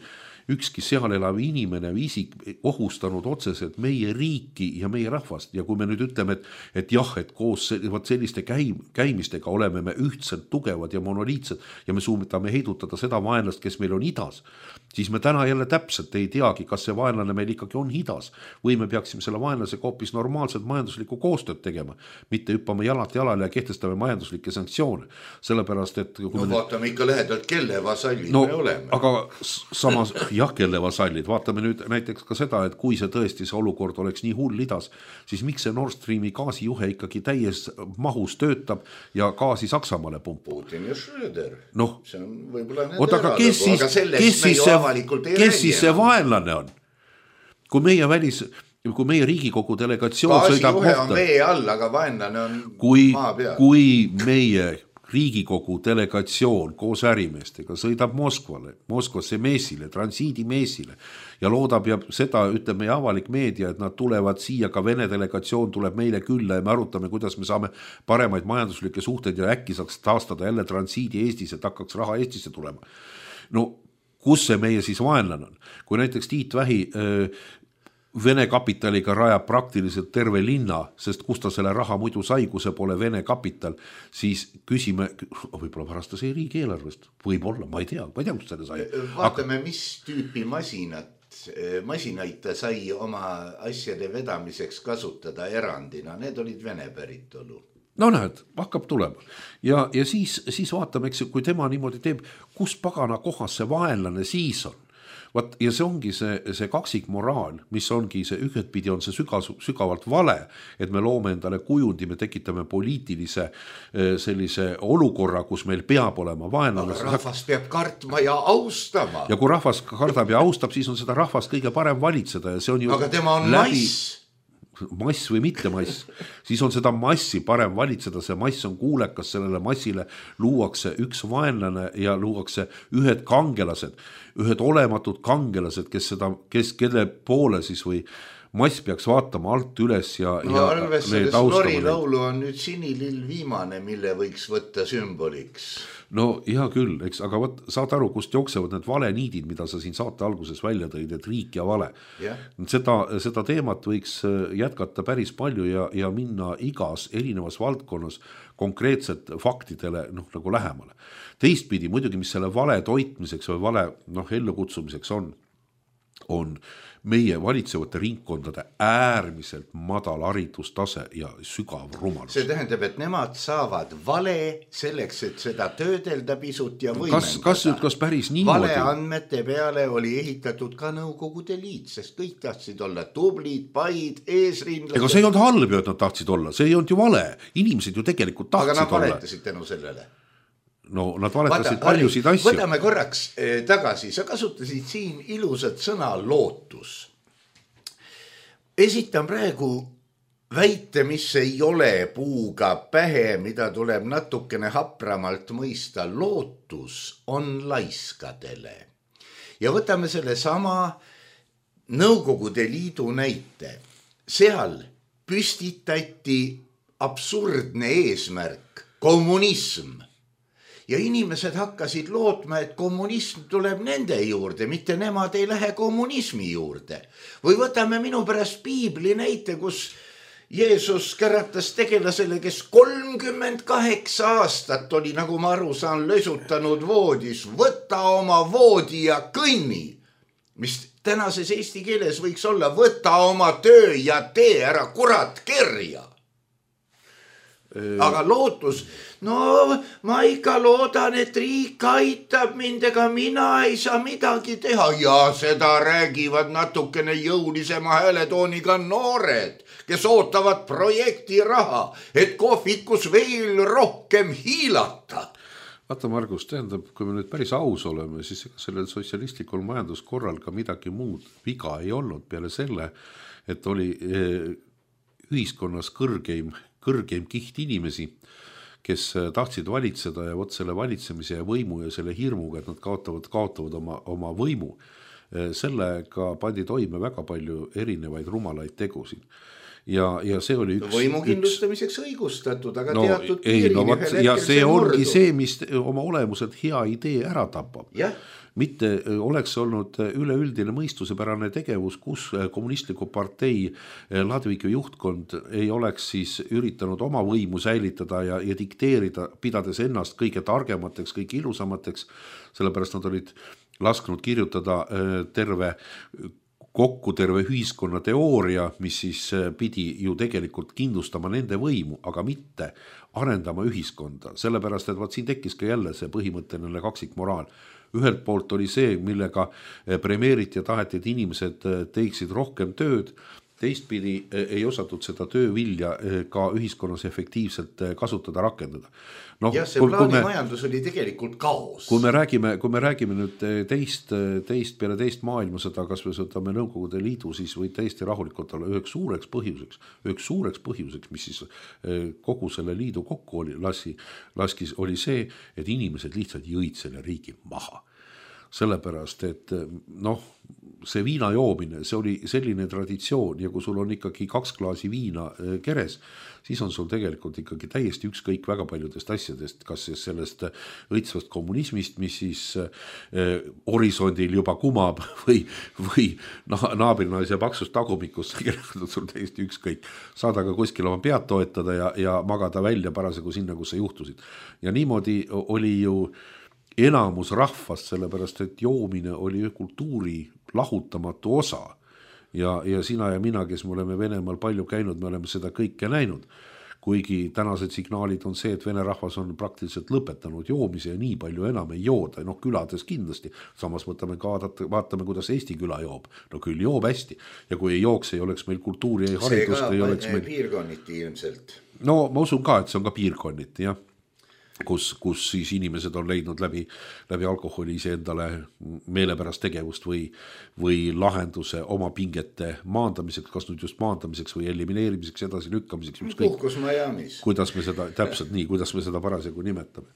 ükski seal elav inimene või isik ohustanud otseselt meie riiki ja meie rahvast ja kui me nüüd ütleme, et, et jah, et koos selliste käim, käimistega oleme me ühtselt tugevad ja monoliitsed ja me suudame heidutada seda vaenlast, kes meil on idas, siis me täna jälle täpselt ei teagi, kas see vaenlane meil ikkagi on idas või me peaksime selle vaenlasega hoopis normaalselt majanduslikku koostööd tegema, mitte hüppama jalalt jalale ja kehtestame majanduslikke sanktsioone, sellepärast, et no vaatame ikk... ikka lehedalt, kelle vasallid no, me oleme. Aga samas jah, kelle vasallid, vaatame nüüd näiteks ka seda, et kui see tõesti see olukord oleks nii hull idas, siis miks see Nord Streami gaasijuhe ikkagi täies mahus töötab ja gaasi Saksamaale pumpub? Putin ja Schröder. No, see on võib-olla nende oot, aga kes siis, kes siis see, kes siis see vaenlane on? Kui meie välis... kui meie Riigikogu delegatsioon sõidab gaasijuhe on vee all, aga vaenlane on kui, maa peal. Kui meie Riigikogu delegatsioon koos ärimeestega sõidab Moskvale, Moskvasse meesile, transiidi meesile ja loodab ja seda ütleb meie avalik meedia, et nad tulevad siia, ka Vene delegatsioon tuleb meile külla ja me arutame, kuidas me saame paremaid majanduslikke suhteid ja äkki saaks taastada jälle transiidi Eestis, et hakkaks raha Eestisse tulema. No kus see meie siis vaenlane on? Kui näiteks Tiit Vähi öö, Vene kapitaliga rajab praktiliselt terve linna, sest kus ta selle raha muidu sai, kui see pole Vene kapital, siis küsime, võib-olla pärast ta sai riigieelarvest, võib-olla, ma ei tea, ma ei tea, kus selle sai. Vaatame, Aga... mis tüüpi masinat, masinaid ta sai oma asjade vedamiseks kasutada erandina, need olid Vene päritolu. No näed, hakkab tulema. Ja, ja siis, siis vaatame, eks, kui tema niimoodi teeb, kus pagana kohas see vaenlane siis on. Vaat, ja see ongi see, see kaksik moraal, mis ongi see ühtpidi on see süga, sügavalt vale, et me loome endale kujundi, me tekitame poliitilise sellise olukorra, kus meil peab olema vaenlane. Aga rahvas peab kartma ja austama. Ja kui rahvas kardab ja austab, siis on seda rahvast kõige parem valitseda ja see on ju aga tema on läbi... mass. mass või mitte mass, siis on seda massi parem valitseda, see mass on kuulekas, sellele massile luuakse üks vaenlane ja luuakse ühed kangelased, ühed olematud kangelased, kes seda, kes, kelle poole siis või mass peaks vaatama alt üles ja, no, ja need Nori laulu on nüüd sinilill viimane, mille võiks võtta sümboliks. No hea küll, eks, aga võt, saad aru, kust jooksevad need valeniidid, mida sa siin saate alguses välja tõid, et riik ja vale. Yeah. Seda, seda teemat võiks jätkata päris palju ja, ja minna igas erinevas valdkonnas konkreetselt faktidele noh, nagu lähemale. Teistpidi muidugi, mis selle vale toitmiseks või vale noh, ellukutsumiseks on, on meie valitsevate ringkondade äärmiselt madal haridustase ja sügav rumalus. See tähendab, et nemad saavad vale selleks, et seda töödelda pisut ja võimendada. Kas, kas nüüd, kas päris niimoodi? Vale andmete peale oli ehitatud ka Nõukogude Liit, sest kõik tahtsid olla tublid, paid, eesrindlased. Ega see ei olnud halb, et nad tahtsid olla, see ei olnud ju vale. Inimesed ju tegelikult tahtsid olla. Aga nad valetasid tänu sellele. No nad valetasid Vaata, paljusid asju. Võtame korraks eh, tagasi, sa kasutasid siin ilusat sõna lootus. Esitan praegu väite, mis ei ole puuga pähe, mida tuleb natukene hapramalt mõista. Lootus on laiskadele. Ja võtame selle sama Nõukogude Liidu näite. Seal püstitati absurdne eesmärk, kommunism. Ja inimesed hakkasid lootma, et kommunism tuleb nende juurde, mitte nemad ei lähe kommunismi juurde. Või võtame minu pärast piibli näite, kus Jeesus käratas tegelasele, kes kolmkümmend kaheksa aastat oli, nagu ma aru saan, lösutanud voodis. Võta oma voodi ja kõnni, mis tänases eesti keeles võiks olla, võta oma töö ja tee ära kurat kerja. Aga lootus, no ma ikka loodan, et riik aitab mind, ega mina ei saa midagi teha. Ja seda räägivad natukene jõulisema hääletooniga noored, kes ootavad projekti raha, et kohvikus veel rohkem hiilata. Vaata Margus, tähendab, kui me nüüd päris aus oleme, siis sellel sotsialistlikul majanduskorral ka midagi muud viga ei olnud peale selle, et oli ühiskonnas kõrgeim kõrgeim kiht inimesi, kes tahtsid valitseda ja võt selle valitsemise ja võimu ja selle hirmuga, et nad kaotavad, kaotavad oma, oma võimu. Sellega pandi toime väga palju erinevaid rumalaid tegusid. Ja, ja see oli üks... Võimu kindlustamiseks üks... õigustatud, aga no, teatud ei, piirini no, vaat, ühel ja hetkel see, see ongi murdu. See, mis oma olemuselt hea idee ära tapab. Jah. Mitte oleks olnud üleüldine mõistusepärane tegevus, kus kommunistliku partei Ladvika juhtkond ei oleks siis üritanud oma võimu säilitada ja, ja dikteerida, pidades ennast kõige targemateks, kõige ilusamateks, sellepärast nad olid lasknud kirjutada terve kokku terve ühiskonna teooria, mis siis pidi ju tegelikult kindlustama nende võimu, aga mitte arendama ühiskonda. Sellepärast, et vaat siin tekkis ka jälle see põhimõtteline kaksikmoraal. Ühelt poolt oli see, millega premeeriti ja taheti, et inimesed teeksid rohkem tööd. Teistpidi ei osatud seda töövilja ka ühiskonnas efektiivselt kasutada, rakendada. No, ja see plaanimajandus oli tegelikult kaos. Kui me räägime, kui me räägime nüüd teist, teist peale teist maailmasõda, kas me sõdame Nõukogude Liidu, siis või täiesti rahulikult olla üheks suureks põhjuseks, üheks suureks põhjuseks, mis siis kogu selle liidu kokku oli, lasi, laskis, oli see, et inimesed lihtsalt jõid selle riigi maha. Sellepärast, et noh, see viina joomine, see oli selline traditsioon ja kui sul on ikkagi kaks klaasi viina keres, siis on sul tegelikult ikkagi täiesti ükskõik väga paljudest asjadest, kas siis sellest õitsvast kommunismist, mis siis eh, horisondil juba kumab või, või naabirnaise paksust tagumikust, tegelikult on sul täiesti ükskõik. Saad aga kuskil oma pead toetada ja, ja magada välja parasjagu sinna, kus sa juhtusid. Ja niimoodi oli ju enamus rahvast, sellepärast et joomine oli kultuuri lahutamatu osa ja, ja sina ja mina, kes me oleme Venemaal palju käinud, me oleme seda kõike näinud, kuigi tänased signaalid on see, et vene rahvas on praktiliselt lõpetanud joomise ja nii palju enam ei jooda, noh külades kindlasti, samas võtame ka, vaatame, kuidas Eesti küla joob, no küll joob hästi ja kui ei jooks, ei oleks meil kultuuri ja haridust, see ei oleks meil... meil... piirkonniti ilmselt. No ma usun ka, et see on ka piirkonniti, jah. kus, kus siis inimesed on leidnud läbi, läbi alkoholi iseendale meelepärast tegevust või, või lahenduse oma pingete maandamiseks, kas nüüd just maandamiseks või elimineerimiseks, edasi lükkamiseks. Puhkus Miami's. Kuidas me seda, täpselt nii, kuidas me seda parasjagu nimetame.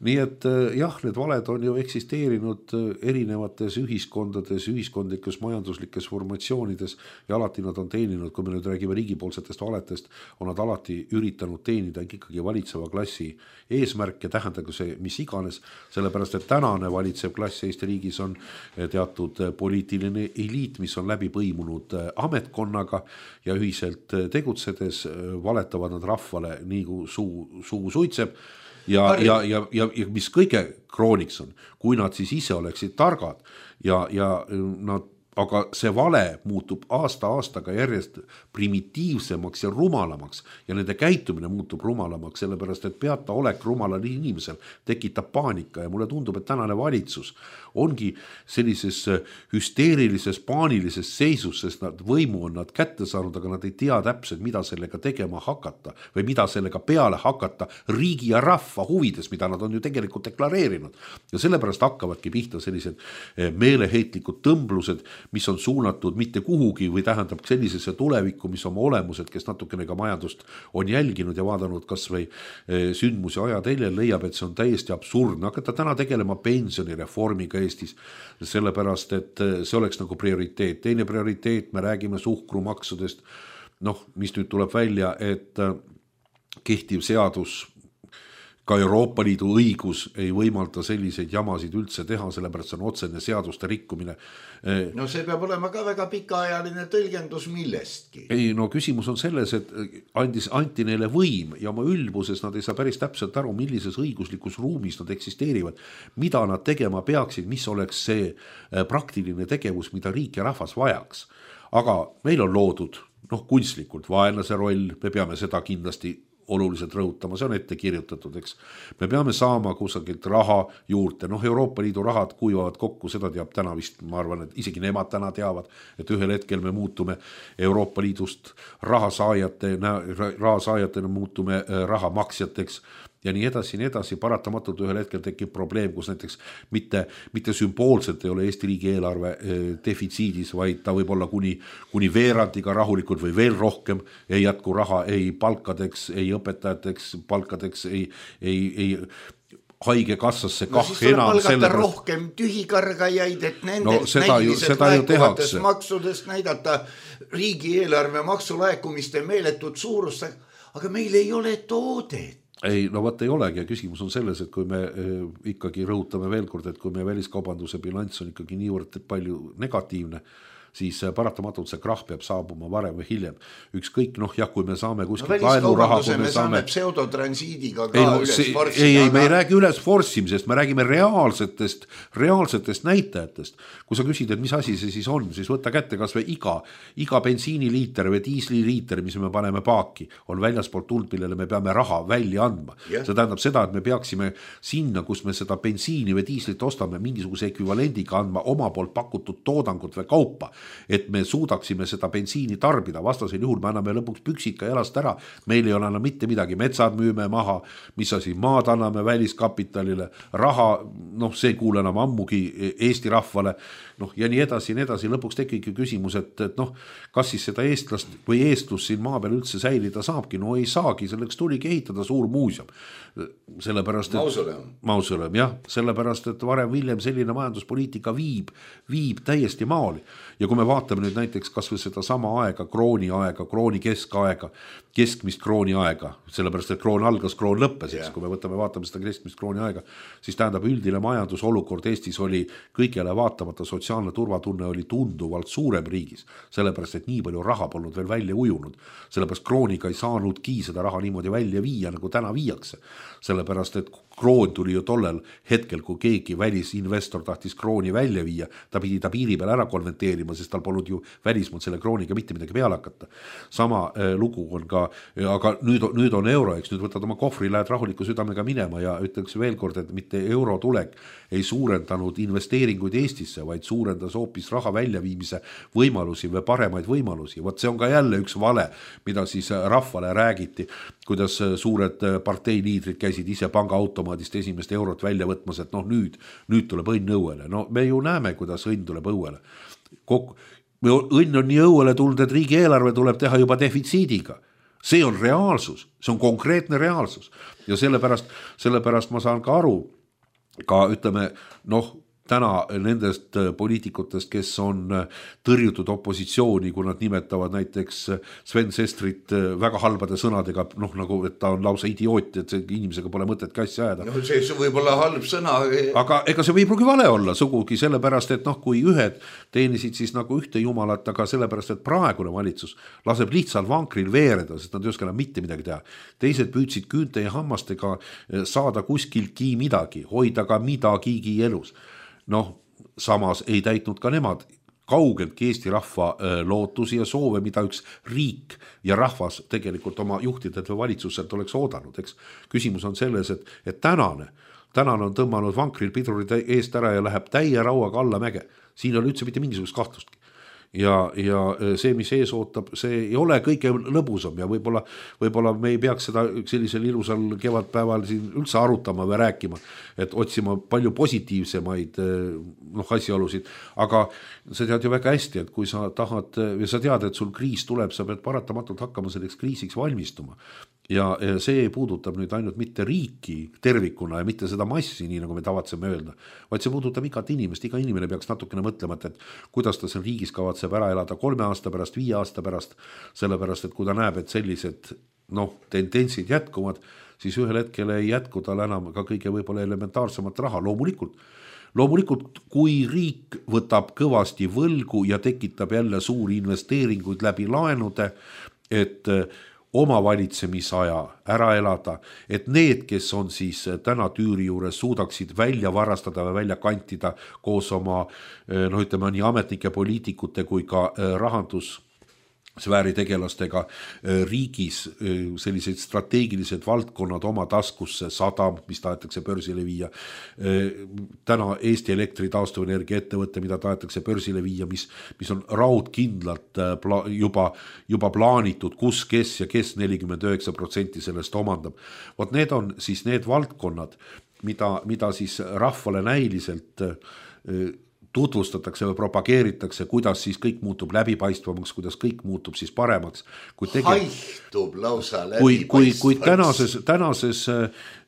Nii et jah, need valed on ju eksisteerinud erinevates ühiskondades, ühiskondlikes majanduslikes formatsioonides ja alati nad on teeninud, kui me nüüd räägime riigipoolsetest valetest, on nad alati üritanud teenida ikkagi valitseva klassi eesmärke, tähendagu see mis iganes, sellepärast et tänane valitsev klass Eesti riigis on teatud poliitiline eliit, mis on läbi põimunud ametkonnaga ja ühiselt tegutsedes valetavad nad rahvale nii kui suu, suu suitseb. Ja, ja, ja, ja, ja mis kõige krooniks on, kui nad siis ise oleksid targad ja, ja nad, aga see vale muutub aasta aastaga järjest primitiivsemaks ja rumalamaks ja nende käitumine muutub rumalamaks, sellepärast et peataolek rumalal inimesel tekitab paanika ja mulle tundub, et tänane valitsus ongi sellises hüsteerilises, paanilises seisus, sest nad võimu on nad kätte saanud, aga nad ei tea täpselt, mida sellega tegema hakata või mida sellega peale hakata riigi ja rahva huvides, mida nad on ju tegelikult deklareerinud. Ja sellepärast hakkavadki pihta sellised meeleheitlikud tõmblused, mis on suunatud mitte kuhugi või tähendab sellisesse tulevikku, mis oma olemused, kes natukene ka majandust on jälginud ja vaadanud kas või sündmusi ajateljel, leiab, et see on täiesti absurdne. Hakata täna tegelema pensionireformiga Eestis, sellepärast, et see oleks nagu prioriteet. Teine prioriteet, me räägime suhkrumaksudest, noh, mis nüüd tuleb välja, et kehtiv seadus, ka Euroopa Liidu õigus ei võimalda selliseid jamasid üldse teha, sellepärast see on otsene seaduste rikkumine. No see peab olema ka väga pikaajaline tõlgendus millestki. Ei, no küsimus on selles, et andis, anti neile võim ja oma ülbuses nad ei saa päris täpselt aru, millises õiguslikus ruumis nad eksisteerivad, mida nad tegema peaksid, mis oleks see praktiline tegevus, mida riik ja rahvas vajaks. Aga meil on loodud noh, kunstlikult vaenlase roll, me peame seda kindlasti oluliselt rõhutama, see on ette kirjutatud, eks. Me peame saama kusagilt raha juurde, noh Euroopa Liidu rahad kuivavad kokku, seda teab täna vist, ma arvan, et isegi nemad täna teavad, et ühel hetkel me muutume Euroopa Liidust rahasaajate, rahasaajatena muutume rahamaksjateks ja nii edasi, nii edasi, paratamatult ühel hetkel tekib probleem, kus näiteks mitte, mitte sümboolselt ei ole Eesti riigi eelarve defitsiidis, vaid ta võib olla kuni, kuni veerandiga rahulikult või veel rohkem, ei jätku raha ei palkadeks, ei õpetajateks, palkadeks, ei, ei, ei haige kassasse kah no, enam. No siis tuleb palgata rohkem tühikargajaid, et nendest no, näiliselt laekuvatest maksudest näidata riigieelarve maksulaekumiste meeletut suurust, aga meil ei ole toodet. Ei, no vaat ei olegi ja küsimus on selles, et kui me eh, ikkagi rõhutame veel kord, et kui me väliskaubanduse bilanss on ikkagi niivõrd palju negatiivne, siis paratamatult see krahv peab saabuma varem või hiljem. Ükskõik, noh jah, kui me saame kuskilt no, laenuraha, kui me, me saame pseudotransiidiga ka ei, no, üles see, forssida. Ei, ei, me ei räägi üles forssimisest, me räägime reaalsetest, reaalsetest näitajatest. Kui sa küsid, et mis asi see siis on, siis võtta kätte kas või iga, iga bensiiniliiter või diisliliiter, mis me paneme paaki, on väljaspoolt tuld, millele me peame raha välja andma. Yeah. See tähendab seda, et me peaksime sinna, kus me seda bensiini või diislit ostame, mingisuguse ekvivalendiga andma oma poolt pakutud toodangut või kaupa, et me suudaksime seda bensiini tarbida, vastasel juhul me anname lõpuks püksika jalast ära, meil ei ole enam mitte midagi, metsad müüme maha, mis asi, maad anname väliskapitalile, raha, noh see ei kuule enam ammugi Eesti rahvale, noh ja nii edasi, nii edasi, lõpuks tekibki küsimus, et, et noh, kas siis seda eestlast või eestlust siin maa peal üldse säilida saabki, no ei saagi, selleks tuligi ehitada suur muuseum, sellepärast, et mausoleum, mausoleum jah, sellepärast, et varem viljem selline majanduspoliitika viib, viib täiesti maali ja kui me vaatame nüüd näiteks kas või seda sama aega, krooni aega, krooni keskaega, keskmist krooni aega, sellepärast, et kroon algas, kroon lõppes, yeah. Kui me võtame, vaatame seda keskmist krooni aega, siis tähendab üldine majandusolukord Eestis oli kõigele vaatamata, sotsiaalne turvatunne oli tunduvalt suurem riigis, sellepärast, et nii palju raha polnud veel välja ujunud, sellepärast krooniga ei saanudki seda raha niimoodi välja viia, nagu täna viiakse, sellepärast, et kroon tuli ju tollel hetkel, kui keegi välisinvestor tahtis krooni välja viia, ta pidi ta piiri peal ära konverteerima, sest sest tal polnud ju välismaalt selle krooniga mitte midagi peale hakata. Sama lugu on ka, aga nüüd, nüüd on euro, eks nüüd võtad oma kohvri, lähed rahuliku südamega minema ja ütleks veel kord, et mitte euro tulek ei suurendanud investeeringuid Eestisse, vaid suurendas hoopis raha väljaviimise võimalusi või paremaid võimalusi. Vot see on ka jälle üks vale, mida siis rahvale räägiti, kuidas suured parteiliidrid käisid ise pangaautomaadist esimest eurot välja võtmas, et noh nüüd, nüüd tuleb õnn õuele. No me ju näeme, kuidas õnn tuleb õuele. Kokku, õnn on nii õuele tulnud, et riigieelarve tuleb teha juba defitsiidiga. See on reaalsus, see on konkreetne reaalsus ja sellepärast, sellepärast ma saan ka aru, ka ütleme, noh, täna nendest poliitikutest, kes on tõrjutud opositsiooni, kui nad nimetavad näiteks Sven Sestrit väga halbade sõnadega, noh nagu, et ta on lausa idioot, et see inimesega pole mõtet kassi ajada. No see võib olla halb sõna. Aga ega see võib pruugi vale olla sugugi sellepärast, et noh, kui ühed teenisid siis nagu ühte jumalat, aga sellepärast, et praegune valitsus laseb lihtsalt vankril veereda, sest nad ei oska enam mitte midagi teha. Teised püüdsid küünte ja hammastega saada kuskiltki midagi, hoida ka midagigi elus. Noh, samas ei täitnud ka nemad kaugeltki Eesti rahva lootusi ja soove, mida üks riik ja rahvas tegelikult oma juhtidelt või valitsuselt oleks oodanud. Eks küsimus on selles, et, et tänane, tänane on tõmmanud vankril pidrurid eest ära ja läheb täie rauaga alla mäge. Siin on üldse mitte mingisugust kahtlustki. Ja, ja see, mis ees ootab, see ei ole kõige lõbusam ja võib-olla, võib-olla me ei peaks seda sellisel ilusal kevadpäeval siin üldse arutama või rääkima, et otsima palju positiivsemaid noh, asjaolusid, aga sa tead ju väga hästi, et kui sa tahad ja sa tead, et sul kriis tuleb, sa pead paratamatult hakkama selleks kriisiks valmistuma. Ja see puudutab nüüd ainult mitte riiki tervikuna ja mitte seda massi, nii nagu me tavatseme öelda, vaid see puudutab igat inimest, iga inimene peaks natukene mõtlema, et kuidas ta seal riigis kavatseb ära elada kolme aasta pärast, viie aasta pärast, sellepärast, et kui ta näeb, et sellised noh, tendentsid jätkuvad, siis ühel hetkel ei jätku tal enam ka kõige võib-olla elementaarsemat raha, loomulikult. Loomulikult, kui riik võtab kõvasti võlgu ja tekitab jälle suuri investeeringuid läbi laenude, et oma valitsemisaja ära elada, et need, kes on siis täna tüüri juures, suudaksid välja varastada või välja kantida koos oma, no ütleme nii ametnike, poliitikute kui ka rahandus sfääritegelastega riigis sellised strateegilised valdkonnad oma taskusse, sadam, mis tahetakse börsile viia, täna Eesti Elektri taastuvenergia ettevõtte, mida tahetakse börsile viia, mis, mis on raudkindlalt pla, juba, juba plaanitud, kus, kes ja kes nelikümmend üheksa protsenti sellest omandab. Vot need on siis need valdkonnad, mida, mida siis rahvale näiliselt tutvustatakse või propageeritakse, kuidas siis kõik muutub läbipaistvamaks, kuidas kõik muutub siis paremaks. Kui tege... Haihtub lausa läbipaistvaks. Kui, kui, kui tänases, tänases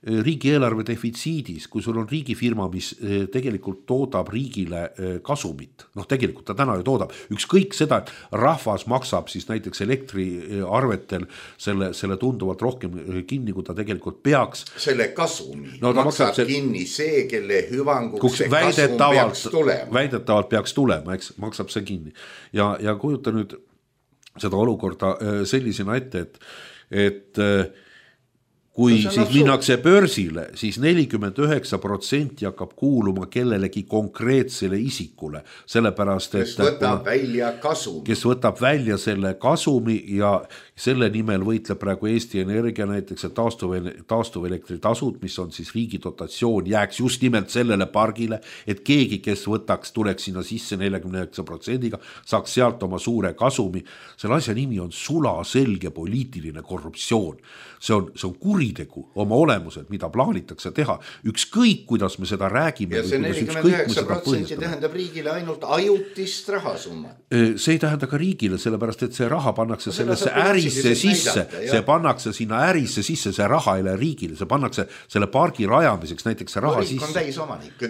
riigieelarve defitsiidis, kui sul on riigifirma, mis tegelikult toodab riigile kasumit, noh tegelikult ta täna ju toodab, ükskõik seda, et rahvas maksab siis näiteks elektriarvetel selle, selle tunduvalt rohkem kinni, kui ta tegelikult peaks. Selle kasumi no, maksab see... kinni see, kelle hüvanguks see kasum peaks tulema. Väidetavalt peaks tulema, eks, maksab see kinni. Ja, ja kujuta nüüd seda olukorda sellisena ette, et, et kui no, siis minnakse börsile, siis nelikümmend üheksa protsenti hakkab kuuluma kellelegi konkreetsele isikule, sellepärast, et kes võtab välja kasumi. Kes võtab välja selle kasumi ja selle nimel võitleb praegu Eesti Energia näiteks, et taastuvelektri tasud, mis on siis riigi dotatsioon, jääks just nimelt sellele pargile, et keegi, kes võtaks, tuleks sinna sisse nelikümmend üheksa protsendiga, saaks sealt oma suure kasumi. Selle asja nimi on sulaselge poliitiline korruptsioon. See on, see on kuritegu oma olemuselt, mida plaanitakse teha. Ükskõik, kuidas me seda räägime. Ja see nelikümmend üheksa protsenti tähendab riigile ainult ajutist rahasummat. See ei tähenda ka riigile, sellepärast, et see raha pannakse no, sellesse ärisse sisse. Näidata, see pannakse sinna ärisse sisse, see raha ei lähe riigile. See pannakse selle pargi rajamiseks, näiteks see raha riik sisse. On täis omanik.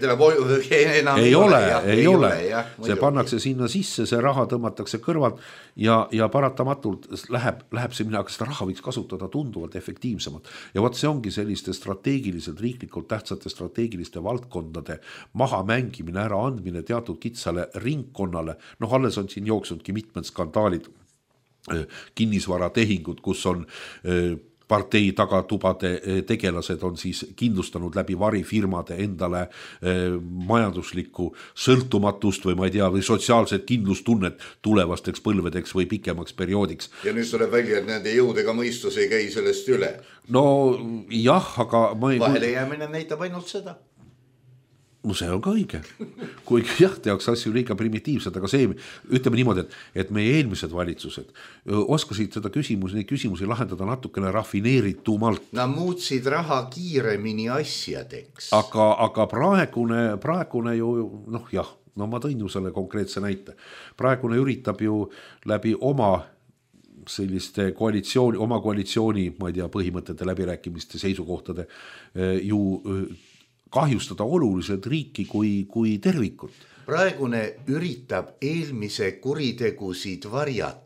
Enam ei ole, ei ole. ole. Jah, see pannakse sinna sisse, see raha tõmmatakse kõrvalt ja, ja paratamatult läheb, läheb see minna, aga seda raha võiks kasutada tunduvalt efektiivsemalt. Ja võt see ongi selliste strateegiliselt riiklikult tähtsate strateegiliste valdkondade maha mängimine, ära andmine teatud kitsale ringkonnale. Noh, alles on siin jooksnudki mitmed skandaalid, kinnisvaratehingud, kus on partei tagatubade tegelased on siis kindlustanud läbi varifirmade endale eh, majanduslikku sõltumatust või ma ei tea, või sotsiaalset kindlustunnet tulevasteks põlvedeks või pikemaks perioodiks. Ja nüüd tuleb välja, et nende jõudega mõistus ei käi sellest üle. No jah, aga ma ei... Vahele jäämine näitab ainult seda. No see on ka õige. Kuigi jah, tehakse asju liiga primitiivsed, aga see, ütleme niimoodi, et, et meie eelmised valitsused oskasid seda küsimus, neid küsimusi lahendada natukene rafineeritumalt. Nad muutsid raha kiiremini asjadeks. Aga, aga praegune, praegune ju, noh jah, no ma tõin ju selle konkreetse näite. Praegune üritab ju läbi oma selliste koalitsiooni, oma koalitsiooni, ma ei tea, põhimõtete läbirääkimiste seisukohtade ju kahjustada oluliselt riiki kui, kui tervikut. Praegune üritab eelmise kuritegusid varjata.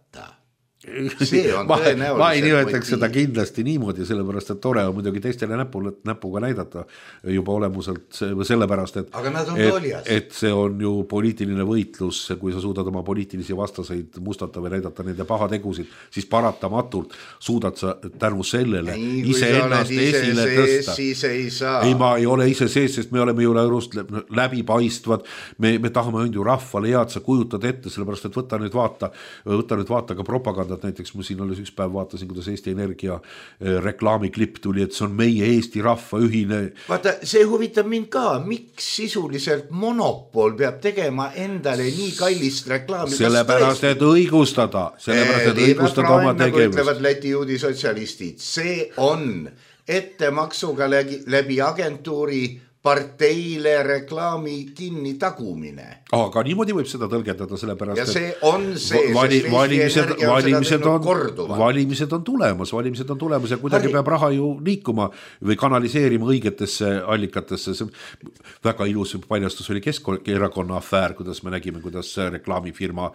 See on ma, tõenäoliselt ma ei nimetaks seda kindlasti niimoodi, sellepärast, et tore on muidugi teistele näpule, näpuga näidata juba olemuselt sellepärast, et, aga nad on et, et see on ju poliitiline võitlus, kui sa suudad oma poliitilisi vastaseid mustata või näidata nende pahategusid, siis paratamatult suudad sa tänu sellele ei, ise ennast ise esile sees, tõsta. Siis ei saa. Ei, ma ei ole ise sees, sest me oleme ju läbipaistvad, me, me tahame ju rahvale head, sa kujutad ette, sellepärast, et võta nüüd vaata, võta nüüd vaata ka propaganda. Näiteks ma siin oli üks päev vaatasin, kuidas Eesti Energia reklaamiklipp tuli, et see on meie Eesti rahva ühine. Vaata, see huvitab mind ka, miks sisuliselt monopol peab tegema endale nii kallist reklaami. Sellepärast, et õigustada, sellepärast, et õigustada oma tegevust. Ütlevad Läti juudisotsialistid, see on ettemaksuga läbi agentuuri parteile reklaami kinni tagumine. Aga niimoodi võib seda tõlgendada, sellepärast, ja see on see, vali, sest valimised, Eesti Energia on valimised seda on, korduvalt. Valimised on tulemas, valimised on tulemas ja kuidagi Harri. Peab raha ju liikuma või kanaliseerima õigetesse allikatesse. See väga ilus paljastus oli Keskerakonna afäär, kuidas me nägime, kuidas reklaamifirma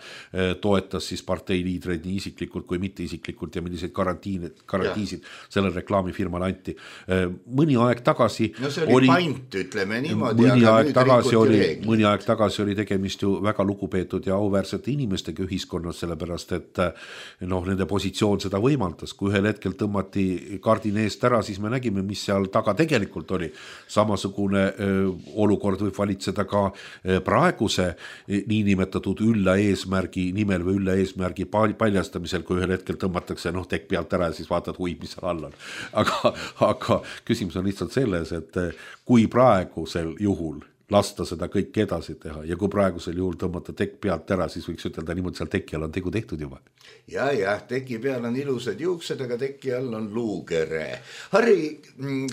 toetas siis partei liidreid nii isiklikult kui mitte isiklikult ja milliseid garantiisid ja. Sellel reklaamifirmal anti. Mõni aeg tagasi no see oli, oli paint, ütleme niimoodi, mõni aeg tagasi oli, mõni aeg tagasi oli tegemist ju väga lugupeetud ja auväärsete inimestega ühiskonnas, sellepärast, et noh, nende positsioon seda võimaldas. Kui ühel hetkel tõmmati kardin eest ära, siis me nägime, mis seal taga tegelikult oli. Samasugune öö, olukord võib valitseda ka öö, praeguse niinimetatud ülla eesmärgi nimel või ülla eesmärgi paljastamisel, kui ühel hetkel tõmmatakse noh, tekk pealt ära ja siis vaatad, hui, mis seal all on. Aga, aga küsimus on lihtsalt selles, et kui praegusel juhul lasta seda kõik edasi teha ja kui praegusel juhul tõmmata tekk pealt ära, siis võiks ütelda niimoodi, seal teki all on tegu tehtud juba. Ja, ja, teki peal on ilusad juuksed, aga teki all on luukere. Harri,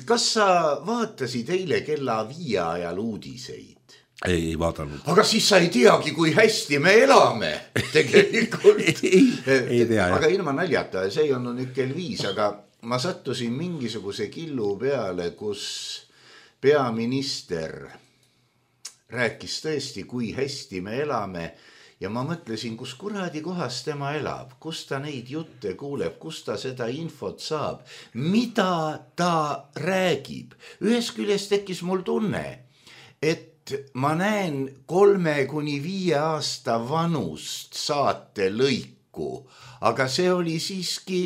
kas sa vaatasid eile kella viie ajal uudiseid? Ei, ei vaadanud. Aga siis sa ei teagi, kui hästi me elame tegelikult. ei, ei tea. Aga ilma naljata, see ei olnud nüüd kell viis, aga ma sattusin mingisuguse killu peale, kus peaminister rääkis tõesti, kui hästi me elame ja ma mõtlesin, kus kuradi kohas tema elab, kus ta neid jutte kuuleb, kus ta seda infot saab, mida ta räägib. Ühest küljest tekkis mul tunne, et ma näen kolme kuni viie aasta vanust saate lõiku, aga see oli siiski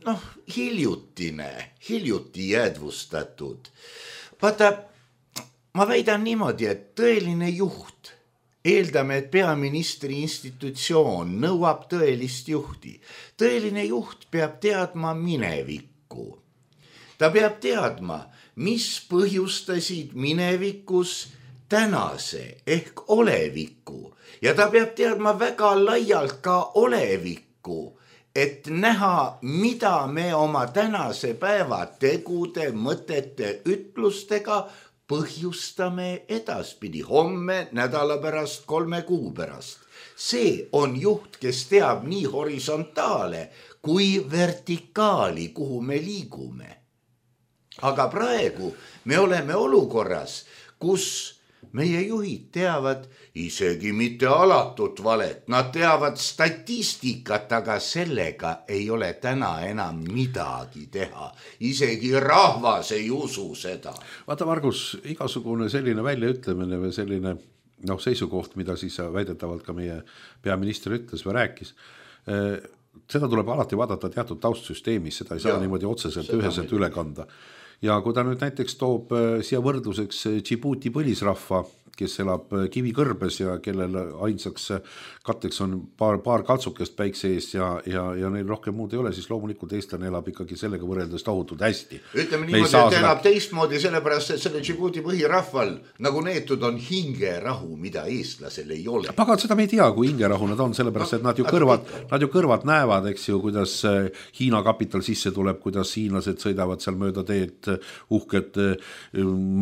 noh, hiljutine, hiljuti jäädvustatud. Vaata, ma väidan niimoodi, et tõeline juht, eeldame, et peaministri institutsioon nõuab tõelist juhti. Tõeline juht peab teadma minevikku. Ta peab teadma, mis põhjustasid minevikus tänase ehk oleviku. Ja ta peab teadma väga laialt ka olevikku, et näha, mida me oma tänase päeva tegude, mõtete, ütlustega põhjustame edaspidi, homme, nädala pärast, kolme kuu pärast. See on juht, kes teab nii horisontaale kui vertikaali, kuhu me liigume. Aga praegu me oleme olukorras, kus meie juhid teavad isegi mitte alatut valet, nad teavad statistikat, aga sellega ei ole täna enam midagi teha. Isegi rahvas ei usu seda. Vaata, Margus, igasugune selline väljaütlemine või selline noh, seisukoht, mida siis väidetavalt ka meie peaminister ütles või rääkis, seda tuleb alati vaadata teatud taustsüsteemis, seda ei saa ja, niimoodi otseselt üheselt üle kanda. Ja kui ta nüüd näiteks toob siia võrdluseks Djibouti põlisrahva, kes elab kivikõrbes ja kellel ainsaks katteks on paar, paar kaltsukest päikse ees ja, ja, ja neil rohkem muud ei ole, siis loomulikult eestlane elab ikkagi sellega võrreldes tohutult hästi. Ütleme niimoodi, et seda... elab teistmoodi, sellepärast, et selle Djibouti põhirahval nagu neetud on hingerahu, mida eestlasel ei ole. Pagan, seda me ei tea, kui hingerahu nad on, sellepärast, et nad ju kõrvad, nad ju kõrvad näevad, eks ju, kuidas Hiina kapital sisse tuleb, kuidas hiinlased sõidavad seal mööda teed, uhked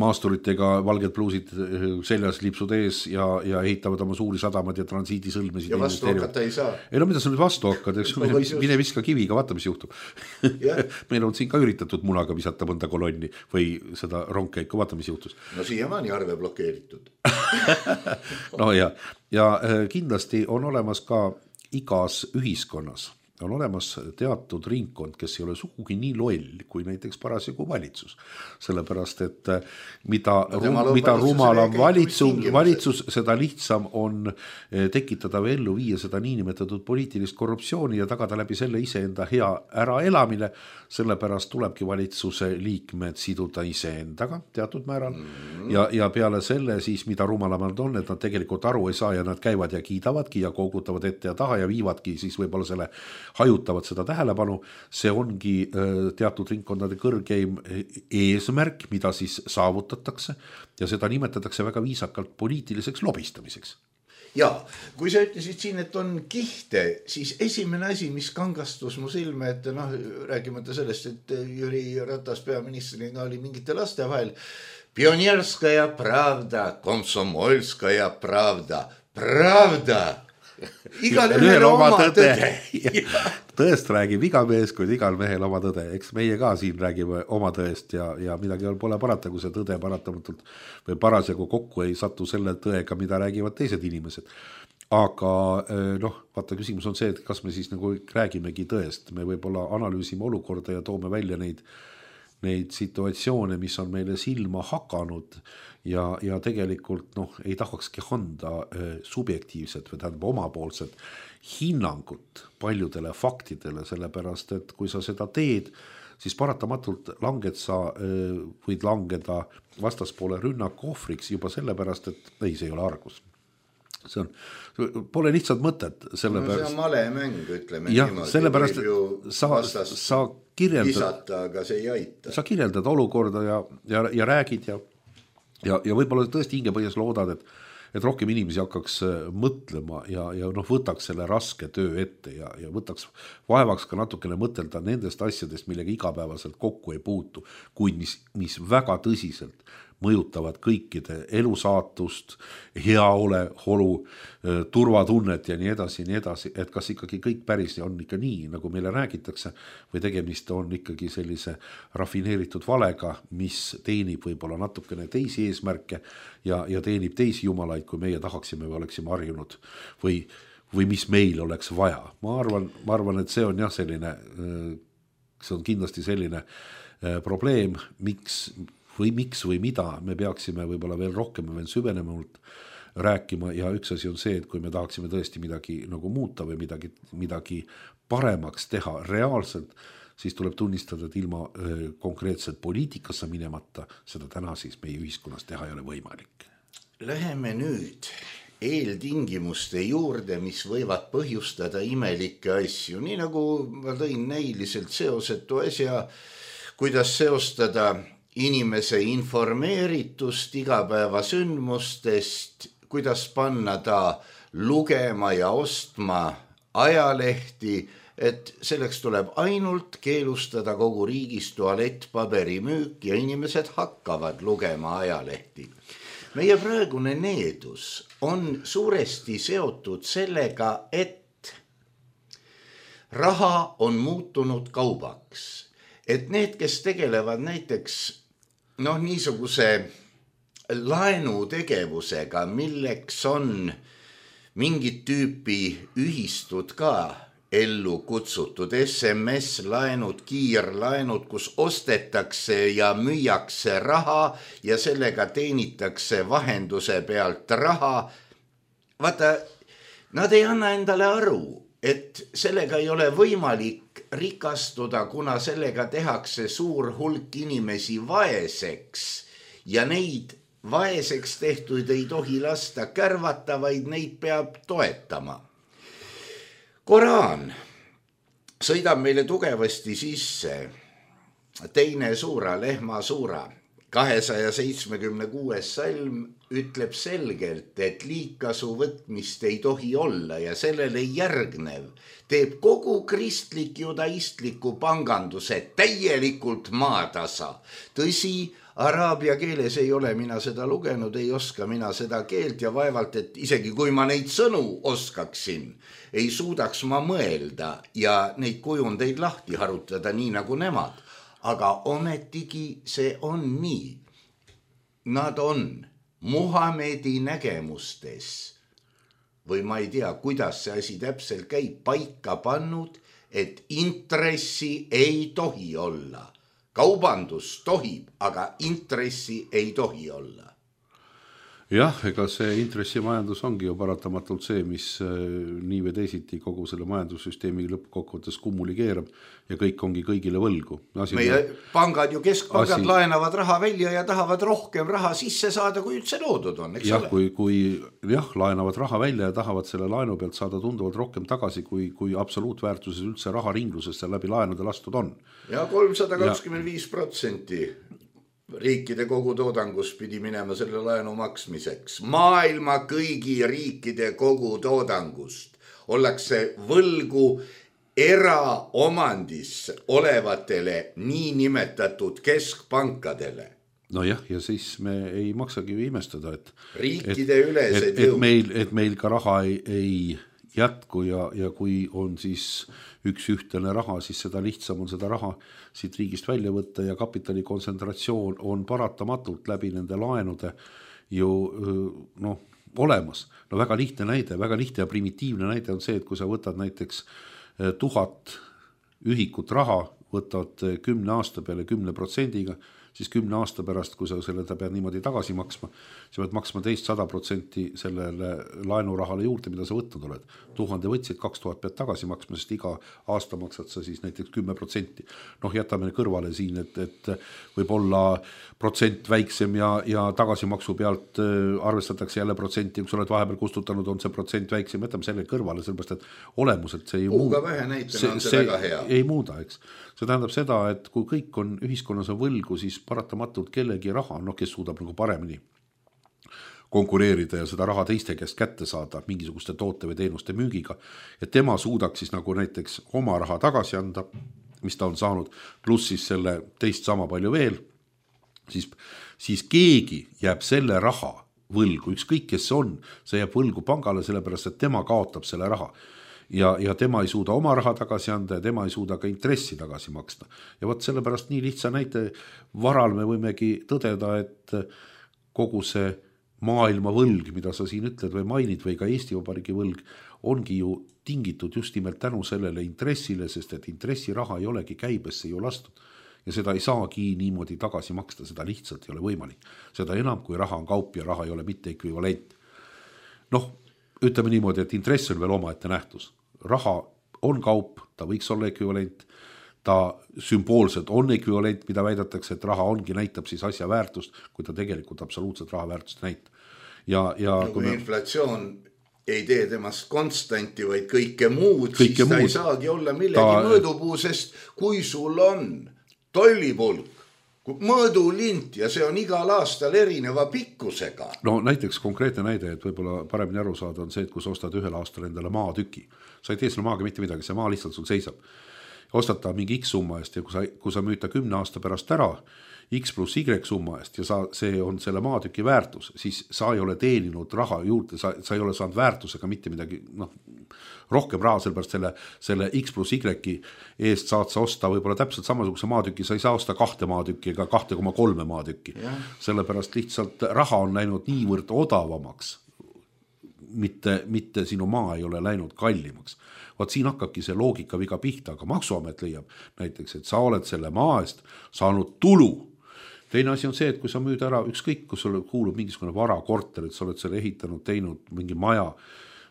maasturitega, valged pluusid selja lipsud ees ja, ja ehitavad oma suuri sadamad ja transiidi sõlmesid. Ja vastu hakata ei saa. Ei no mida sa nüüd vastu hakkad, eks mine, mine viska kiviga, vaata mis juhtub. Meil on siin ka üritatud munaga visata mõnda kolonni või seda rongkäiku, vaata mis juhtus. No siiamaani arve blokeeritud. No ja, ja kindlasti on olemas ka igas ühiskonnas on olemas teatud ringkond, kes ei ole sugugi nii loll kui näiteks parasjagu valitsus. Sellepärast, et mida, no, rum, mida rumalam valitsus, valitsus, seda lihtsam on tekitada või ellu viia seda niinimetatud poliitilist korruptsiooni ja tagada läbi selle iseenda hea äraelamine. Sellepärast tulebki valitsuse liikmed siduda iseendaga teatud määral mm. ja, ja peale selle siis, mida rumalamad on, et nad tegelikult aru ei saa ja nad käivad ja kiidavadki ja koogutavad ette ja taha ja viivadki siis võib-olla selle hajutavad seda tähelepanu, see ongi teatud ringkondade kõrgeim eesmärk, mida siis saavutatakse ja seda nimetatakse väga viisakalt poliitiliseks lobistamiseks. Ja, kui sa ütlesid siin, et on kihte, siis esimene asi, mis kangastus mu silme, et noh, räägimata sellest, et Jüri Ratas peaministrina oli mingite laste vahel, Pionierskaja pravda, Komsomolskaja pravda, pravda. Igal ühel oma tõde, tõde. Tõest räägib iga mees, kuid igal mehel oma tõde, eks meie ka siin räägime oma tõest ja, ja midagi pole parata, kui see tõde paratamatult või parasjagu kokku ei satu selle tõega, mida räägivad teised inimesed. Aga noh, vaata küsimus on see, et kas me siis nagu räägimegi tõest, me võib-olla analüüsime olukorda ja toome välja neid neid situatsioone, mis on meile silma hakanud ja, ja tegelikult noh, ei tahakski anda äh, subjektiivset või tähendab omapoolset hinnangut paljudele faktidele, sellepärast et kui sa seda teed, siis paratamatult langed sa, äh, võid langeda vastaspoole rünnaku ohvriks juba sellepärast, et ei, see ei ole argus. See on, pole lihtsalt mõtet sellepärast. No see on malemäng, ütleme ja, niimoodi. Sellepärast, et sa, sa kirjeldad, visata, aga see ei aita. Sa kirjeldad olukorda ja, ja, ja räägid ja, ja, ja võib-olla tõesti hingepõhjas loodad, et, et rohkem inimesi hakkaks mõtlema ja, ja noh, võtaks selle raske töö ette ja, ja võtaks vaevaks ka natukene mõtelda nendest asjadest, millega igapäevaselt kokku ei puutu, kuid mis, mis väga tõsiselt mõjutavad kõikide elusaatust, heaole, holu, turvatunnet ja nii edasi, nii edasi, et kas ikkagi kõik päris on ikka nii, nagu meile räägitakse, või tegemist on ikkagi sellise rafineeritud valega, mis teenib võib-olla natukene teisi eesmärke ja, ja teenib teisi jumalaid, kui meie tahaksime või oleksime harjunud või, või mis meil oleks vaja. Ma arvan, ma arvan, et see on jah selline, see on kindlasti selline probleem, miks või miks või mida me peaksime võib-olla veel rohkem veel süvenemalt rääkima ja üks asi on see, et kui me tahaksime tõesti midagi nagu muuta või midagi, midagi paremaks teha reaalselt, siis tuleb tunnistada, et ilma konkreetselt poliitikasse minemata seda täna siis meie ühiskonnas teha ei ole võimalik. Läheme nüüd eeltingimuste juurde, mis võivad põhjustada imelikke asju, nii nagu ma tõin näiliselt seosetu asja, kuidas seostada inimese informeeritust igapäevasündmustest, kuidas panna ta lugema ja ostma ajalehti, et selleks tuleb ainult keelustada kogu riigis tualettpaberi müük ja inimesed hakkavad lugema ajalehti. Meie praegune needus on suuresti seotud sellega, et raha on muutunud kaubaks, et need, kes tegelevad näiteks noh, niisuguse laenutegevusega, milleks on mingit tüüpi ühistud ka ellu kutsutud, S M S-laenud, kiirlaenud, kus ostetakse ja müüakse raha ja sellega teenitakse vahenduse pealt raha. Vaata, nad ei anna endale aru, et sellega ei ole võimalik rikastuda, kuna sellega tehakse suur hulk inimesi vaeseks ja neid vaeseks tehtuid ei tohi lasta kärvata, vaid neid peab toetama. Koraan sõidab meile tugevasti sisse teine suura, lehma suura, kahesaja seitsmekümne kuues salm ütleb selgelt, et liigkasu võtmist ei tohi olla ja sellele järgnev teeb kogu kristlik judaistliku panganduse täielikult maatasa. Tõsi, araabia keeles ei ole mina seda lugenud, ei oska mina seda keelt ja vaevalt, et isegi kui ma neid sõnu oskaksin, ei suudaks ma mõelda ja neid kujundeid lahti harutada nii nagu nemad. Aga ometigi see on nii. Nad on Muhamedi nägemustes või ma ei tea, kuidas see asi täpselt käib, paika pannud, et intressi ei tohi olla. Kaubandus tohib, aga intressi ei tohi olla. Jah, ega see intressimajandus ongi ju paratamatult see, mis nii või teisiti kogu selle majandussüsteemi lõppkokkuvõttes kummuli keerab ja kõik ongi kõigile võlgu. Asi meie pangad ju keskpangad asi... laenavad raha välja ja tahavad rohkem raha sisse saada, kui üldse loodud on, eks jah, ole? Kui, kui jah, laenavad raha välja ja tahavad selle laenu pealt saada tunduvalt rohkem tagasi, kui, kui absoluutväärtuses üldse raha ringlusesse läbi laenude lastud on. Ja kolmsada kakskümmend viis protsenti riikide kogutoodangus pidi minema selle laenu maksmiseks. Maailma kõigi riikide kogutoodangust ollakse võlgu eraomandis olevatele nii nimetatud keskpankadele. No jah, ja siis me ei maksagi ju imestada, et riikide et, ülesed et, et, meil, et meil ka raha ei, ei jätku ja, ja kui on siis üks ühtene raha, siis seda lihtsam on seda raha siit riigist välja võtta ja kapitali kontsentratsioon on paratamatult läbi nende laenude ju noh, olemas. No väga lihtne näide, väga lihtne ja primitiivne näide on see, et kui sa võtad näiteks tuhat ühikut raha, võtad kümne aasta peale kümne protsendiga, siis kümne aasta pärast, kui sa selle pead niimoodi tagasi maksma, sa pead maksma teist sada protsenti sellele laenurahale juurde, mida sa võtnud oled. Tuhande võtsid, kaks tuhat pead tagasi maksma, sest iga aasta maksad sa siis näiteks kümme protsenti. Noh, jätame kõrvale siin, et, et võib olla protsent väiksem ja, ja tagasimaksu pealt arvestatakse jälle protsenti, kui sa oled vahepeal kustutanud, on see protsent väiksem, jätame selle kõrvale, sellepärast, et olemuselt see ei muuda. Vähe näitena on see, see väga hea. Ei muuda, eks. See tähendab seda, et kui kõik on ühiskonnas on võlgu, siis paratamatult kellegi raha, noh, kes suudab nagu paremini konkureerida ja seda raha teiste käest kätte saada mingisuguste toote või teenuste müügiga, et tema suudaks siis nagu näiteks oma raha tagasi anda, mis ta on saanud, pluss siis selle teist sama palju veel, siis, siis keegi jääb selle raha võlgu, ükskõik kes see on, see jääb võlgu pangale, sellepärast et tema kaotab selle raha. Ja, ja tema ei suuda oma raha tagasi anda ja tema ei suuda ka intressi tagasi maksta. Ja võt sellepärast nii lihtsa näite varal me võimegi tõdeda, et kogu see maailma võlg, mida sa siin ütled või mainid või ka Eesti Vabariigi võlg, ongi ju tingitud just nimelt tänu sellele intressile, sest et intressiraha ei olegi käibesse ju lastud. Ja seda ei saagi niimoodi tagasi maksta, seda lihtsalt ei ole võimalik. Seda enam, kui raha on kaup ja raha ei ole mitte ekvivalent. Noh, ütleme niimoodi, et intress on veel omaette nähtus. Raha on kaup, ta võiks olla ekvivalent, ta sümboolselt on ekvivalent, mida väidetakse, et raha ongi, näitab siis asja väärtust, kui ta tegelikult absoluutselt raha väärtust näitab. Ja, ja no, kui me... inflatsioon ei tee temast konstanti, vaid kõike muud, kõike siis ta muud. Ei saagi olla millegi ta... mõõdupuu, sest kui sul on tollipulk, mõõdulint ja see on igal aastal erineva pikkusega. No näiteks konkreetne näide, et võib-olla paremini aru saada on see, et kui sa ostad ühel aastal endale maatüki, sa ei tee selle maaga mitte midagi, see maa lihtsalt sul seisab. Ostad ta mingi X summa eest ja kui sa, kui sa müüd ta kümne aasta pärast ära, X pluss Y summa eest ja sa, see on selle maatüki väärtus, siis sa ei ole teeninud raha juurde, sa, sa ei ole saanud väärtusega mitte midagi, noh, rohkem raha, sellepärast selle, selle X pluss Y eest saad sa osta võib-olla täpselt samasuguse maatüki, sa ei saa osta kahte maatükki ega kahte koma kolme maatükki. Sellepärast lihtsalt raha on läinud niivõrd odavamaks, mitte, mitte sinu maa ei ole läinud kallimaks. Vaat siin hakkabki see loogika viga pihta, aga maksuamet leiab näiteks, et sa oled selle maa eest saanud tulu. Teine asi on see, et kui sa müüd ära ükskõik, kus sulle kuulub mingisugune vara, korter, et sa oled selle ehitanud, teinud mingi maja,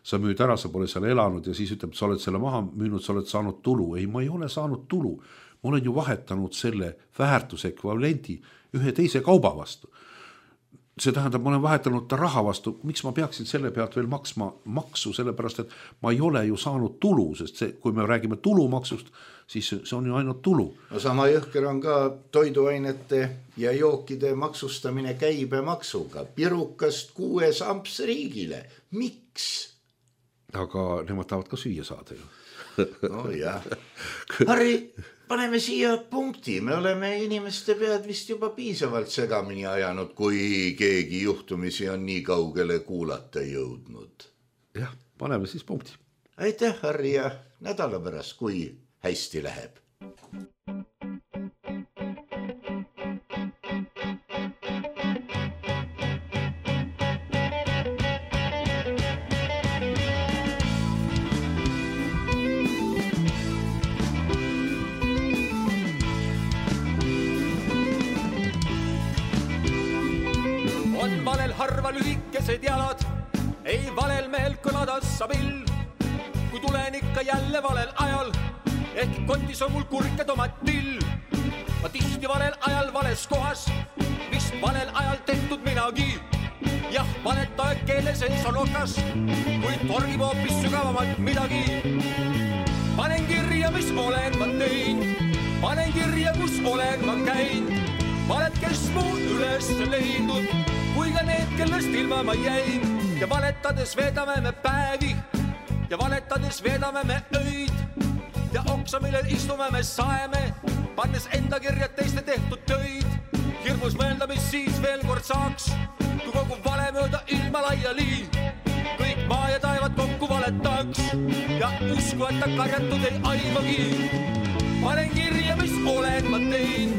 sa müüd ära, sa pole seal elanud ja siis ütleb, sa oled selle maha müünud, sa oled saanud tulu. Ei, ma ei ole saanud tulu. Ma olen ju vahetanud selle väärtusekvivalendi ühe teise kauba vastu. See tähendab, ma olen vahetanud ta raha vastu. Miks ma peaksin selle pealt veel maksma maksu? Sellepärast, et ma ei ole ju saanud tulu, sest see, kui me räägime tulumaksust, siis see on ju ainult tulu. No sama jõhker on ka toiduainete ja jookide maksustamine käibemaksuga. Pirukast kuues amps riigile. Miks? Aga nemad tahavad ka süüa saada ju. No jah. Harri, paneme siia punkti. Me oleme inimeste pead vist juba piisavalt segamini ajanud, kui keegi juhtumisi on nii kaugele kuulata jõudnud. Jah, paneme siis punkti. Aitäh, Harri, ja nädala pärast, kui hästi läheb. Valel harva lühikesed jalad, ei valel mehel kõlada sabil. Kui tulen ikka jälle valel ajal, ehk kotis on mul kurke tomatil. Ma tihti valel ajal vales kohas, vist valel ajal tehtud minagi. Jah, valetaja keele sees on okas, kui torgib hoopis sügavamalt midagi. Panen kirja, mis olen ma tein, panen kirja, kus olen ma käin. Valet, kes mu üles leidnud, kui ka need, kellest ilma ma jäin. Ja valetades veedame me päevi ja valetades veedame me öid. Ja oksa, millel istume me saeme, pannes enda kirjad teiste tehtud töid. Hirmus mõelda, mis siis veel kord saaks, kui kogu vale mööda ilma laiali. Kõik maa ja taevad kokku valetaks ja usku, et ta karjatud ei aimagi. Panen kirja, mis olen ma tein,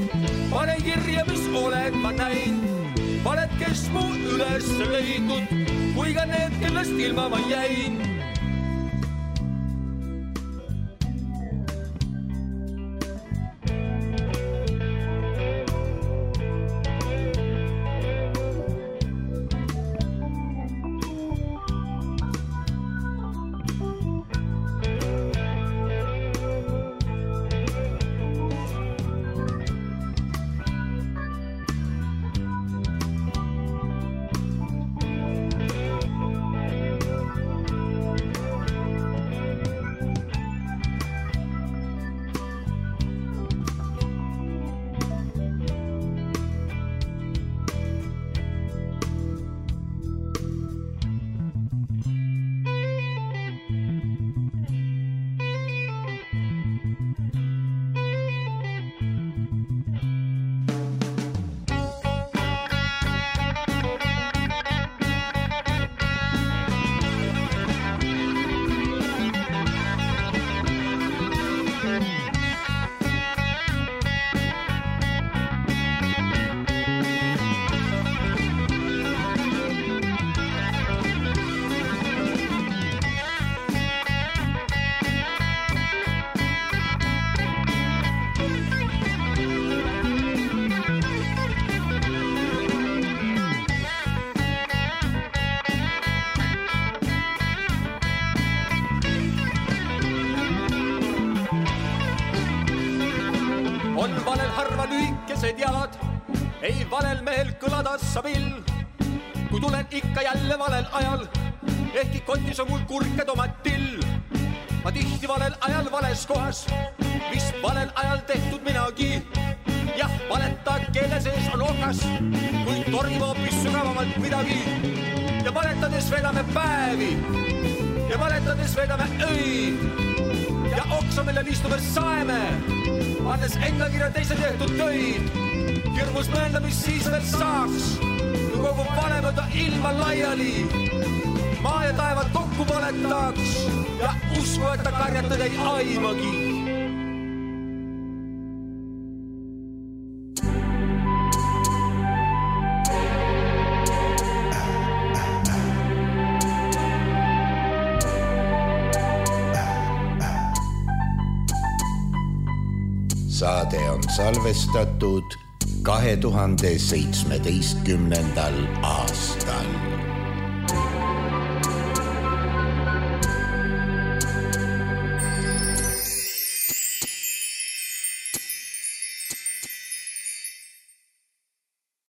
panen kirja, mis olen ma näin. Valed, kes mu üles leidnud, kui ka need, kellest ilma ma jäin. Jalad, ei valel mehel kõlada sabil. Kui tulen ikka jälle valel ajal, ehkki kotis on mul kurke tomatil. Ma tihti valel ajal vales kohas, vist valel ajal tehtud minagi. Jah, valeta keele sees on okas, kui torgib hoopis sügavamalt midagi. Ja valetades vedame päevi ja valetades vedame öid. Ja oksa, millel istume saeme, annes enda kirja teise tehtud töid. Hirmus mõelda, mis siis veel saaks, kui kogu vale mööda ilma laiali. Maa ja taevad kokku valetaks ja usku, et ta karjatud ei aimagi. Saade on salvestatud kahe tuhande seitsmeteistkümnendal aastal.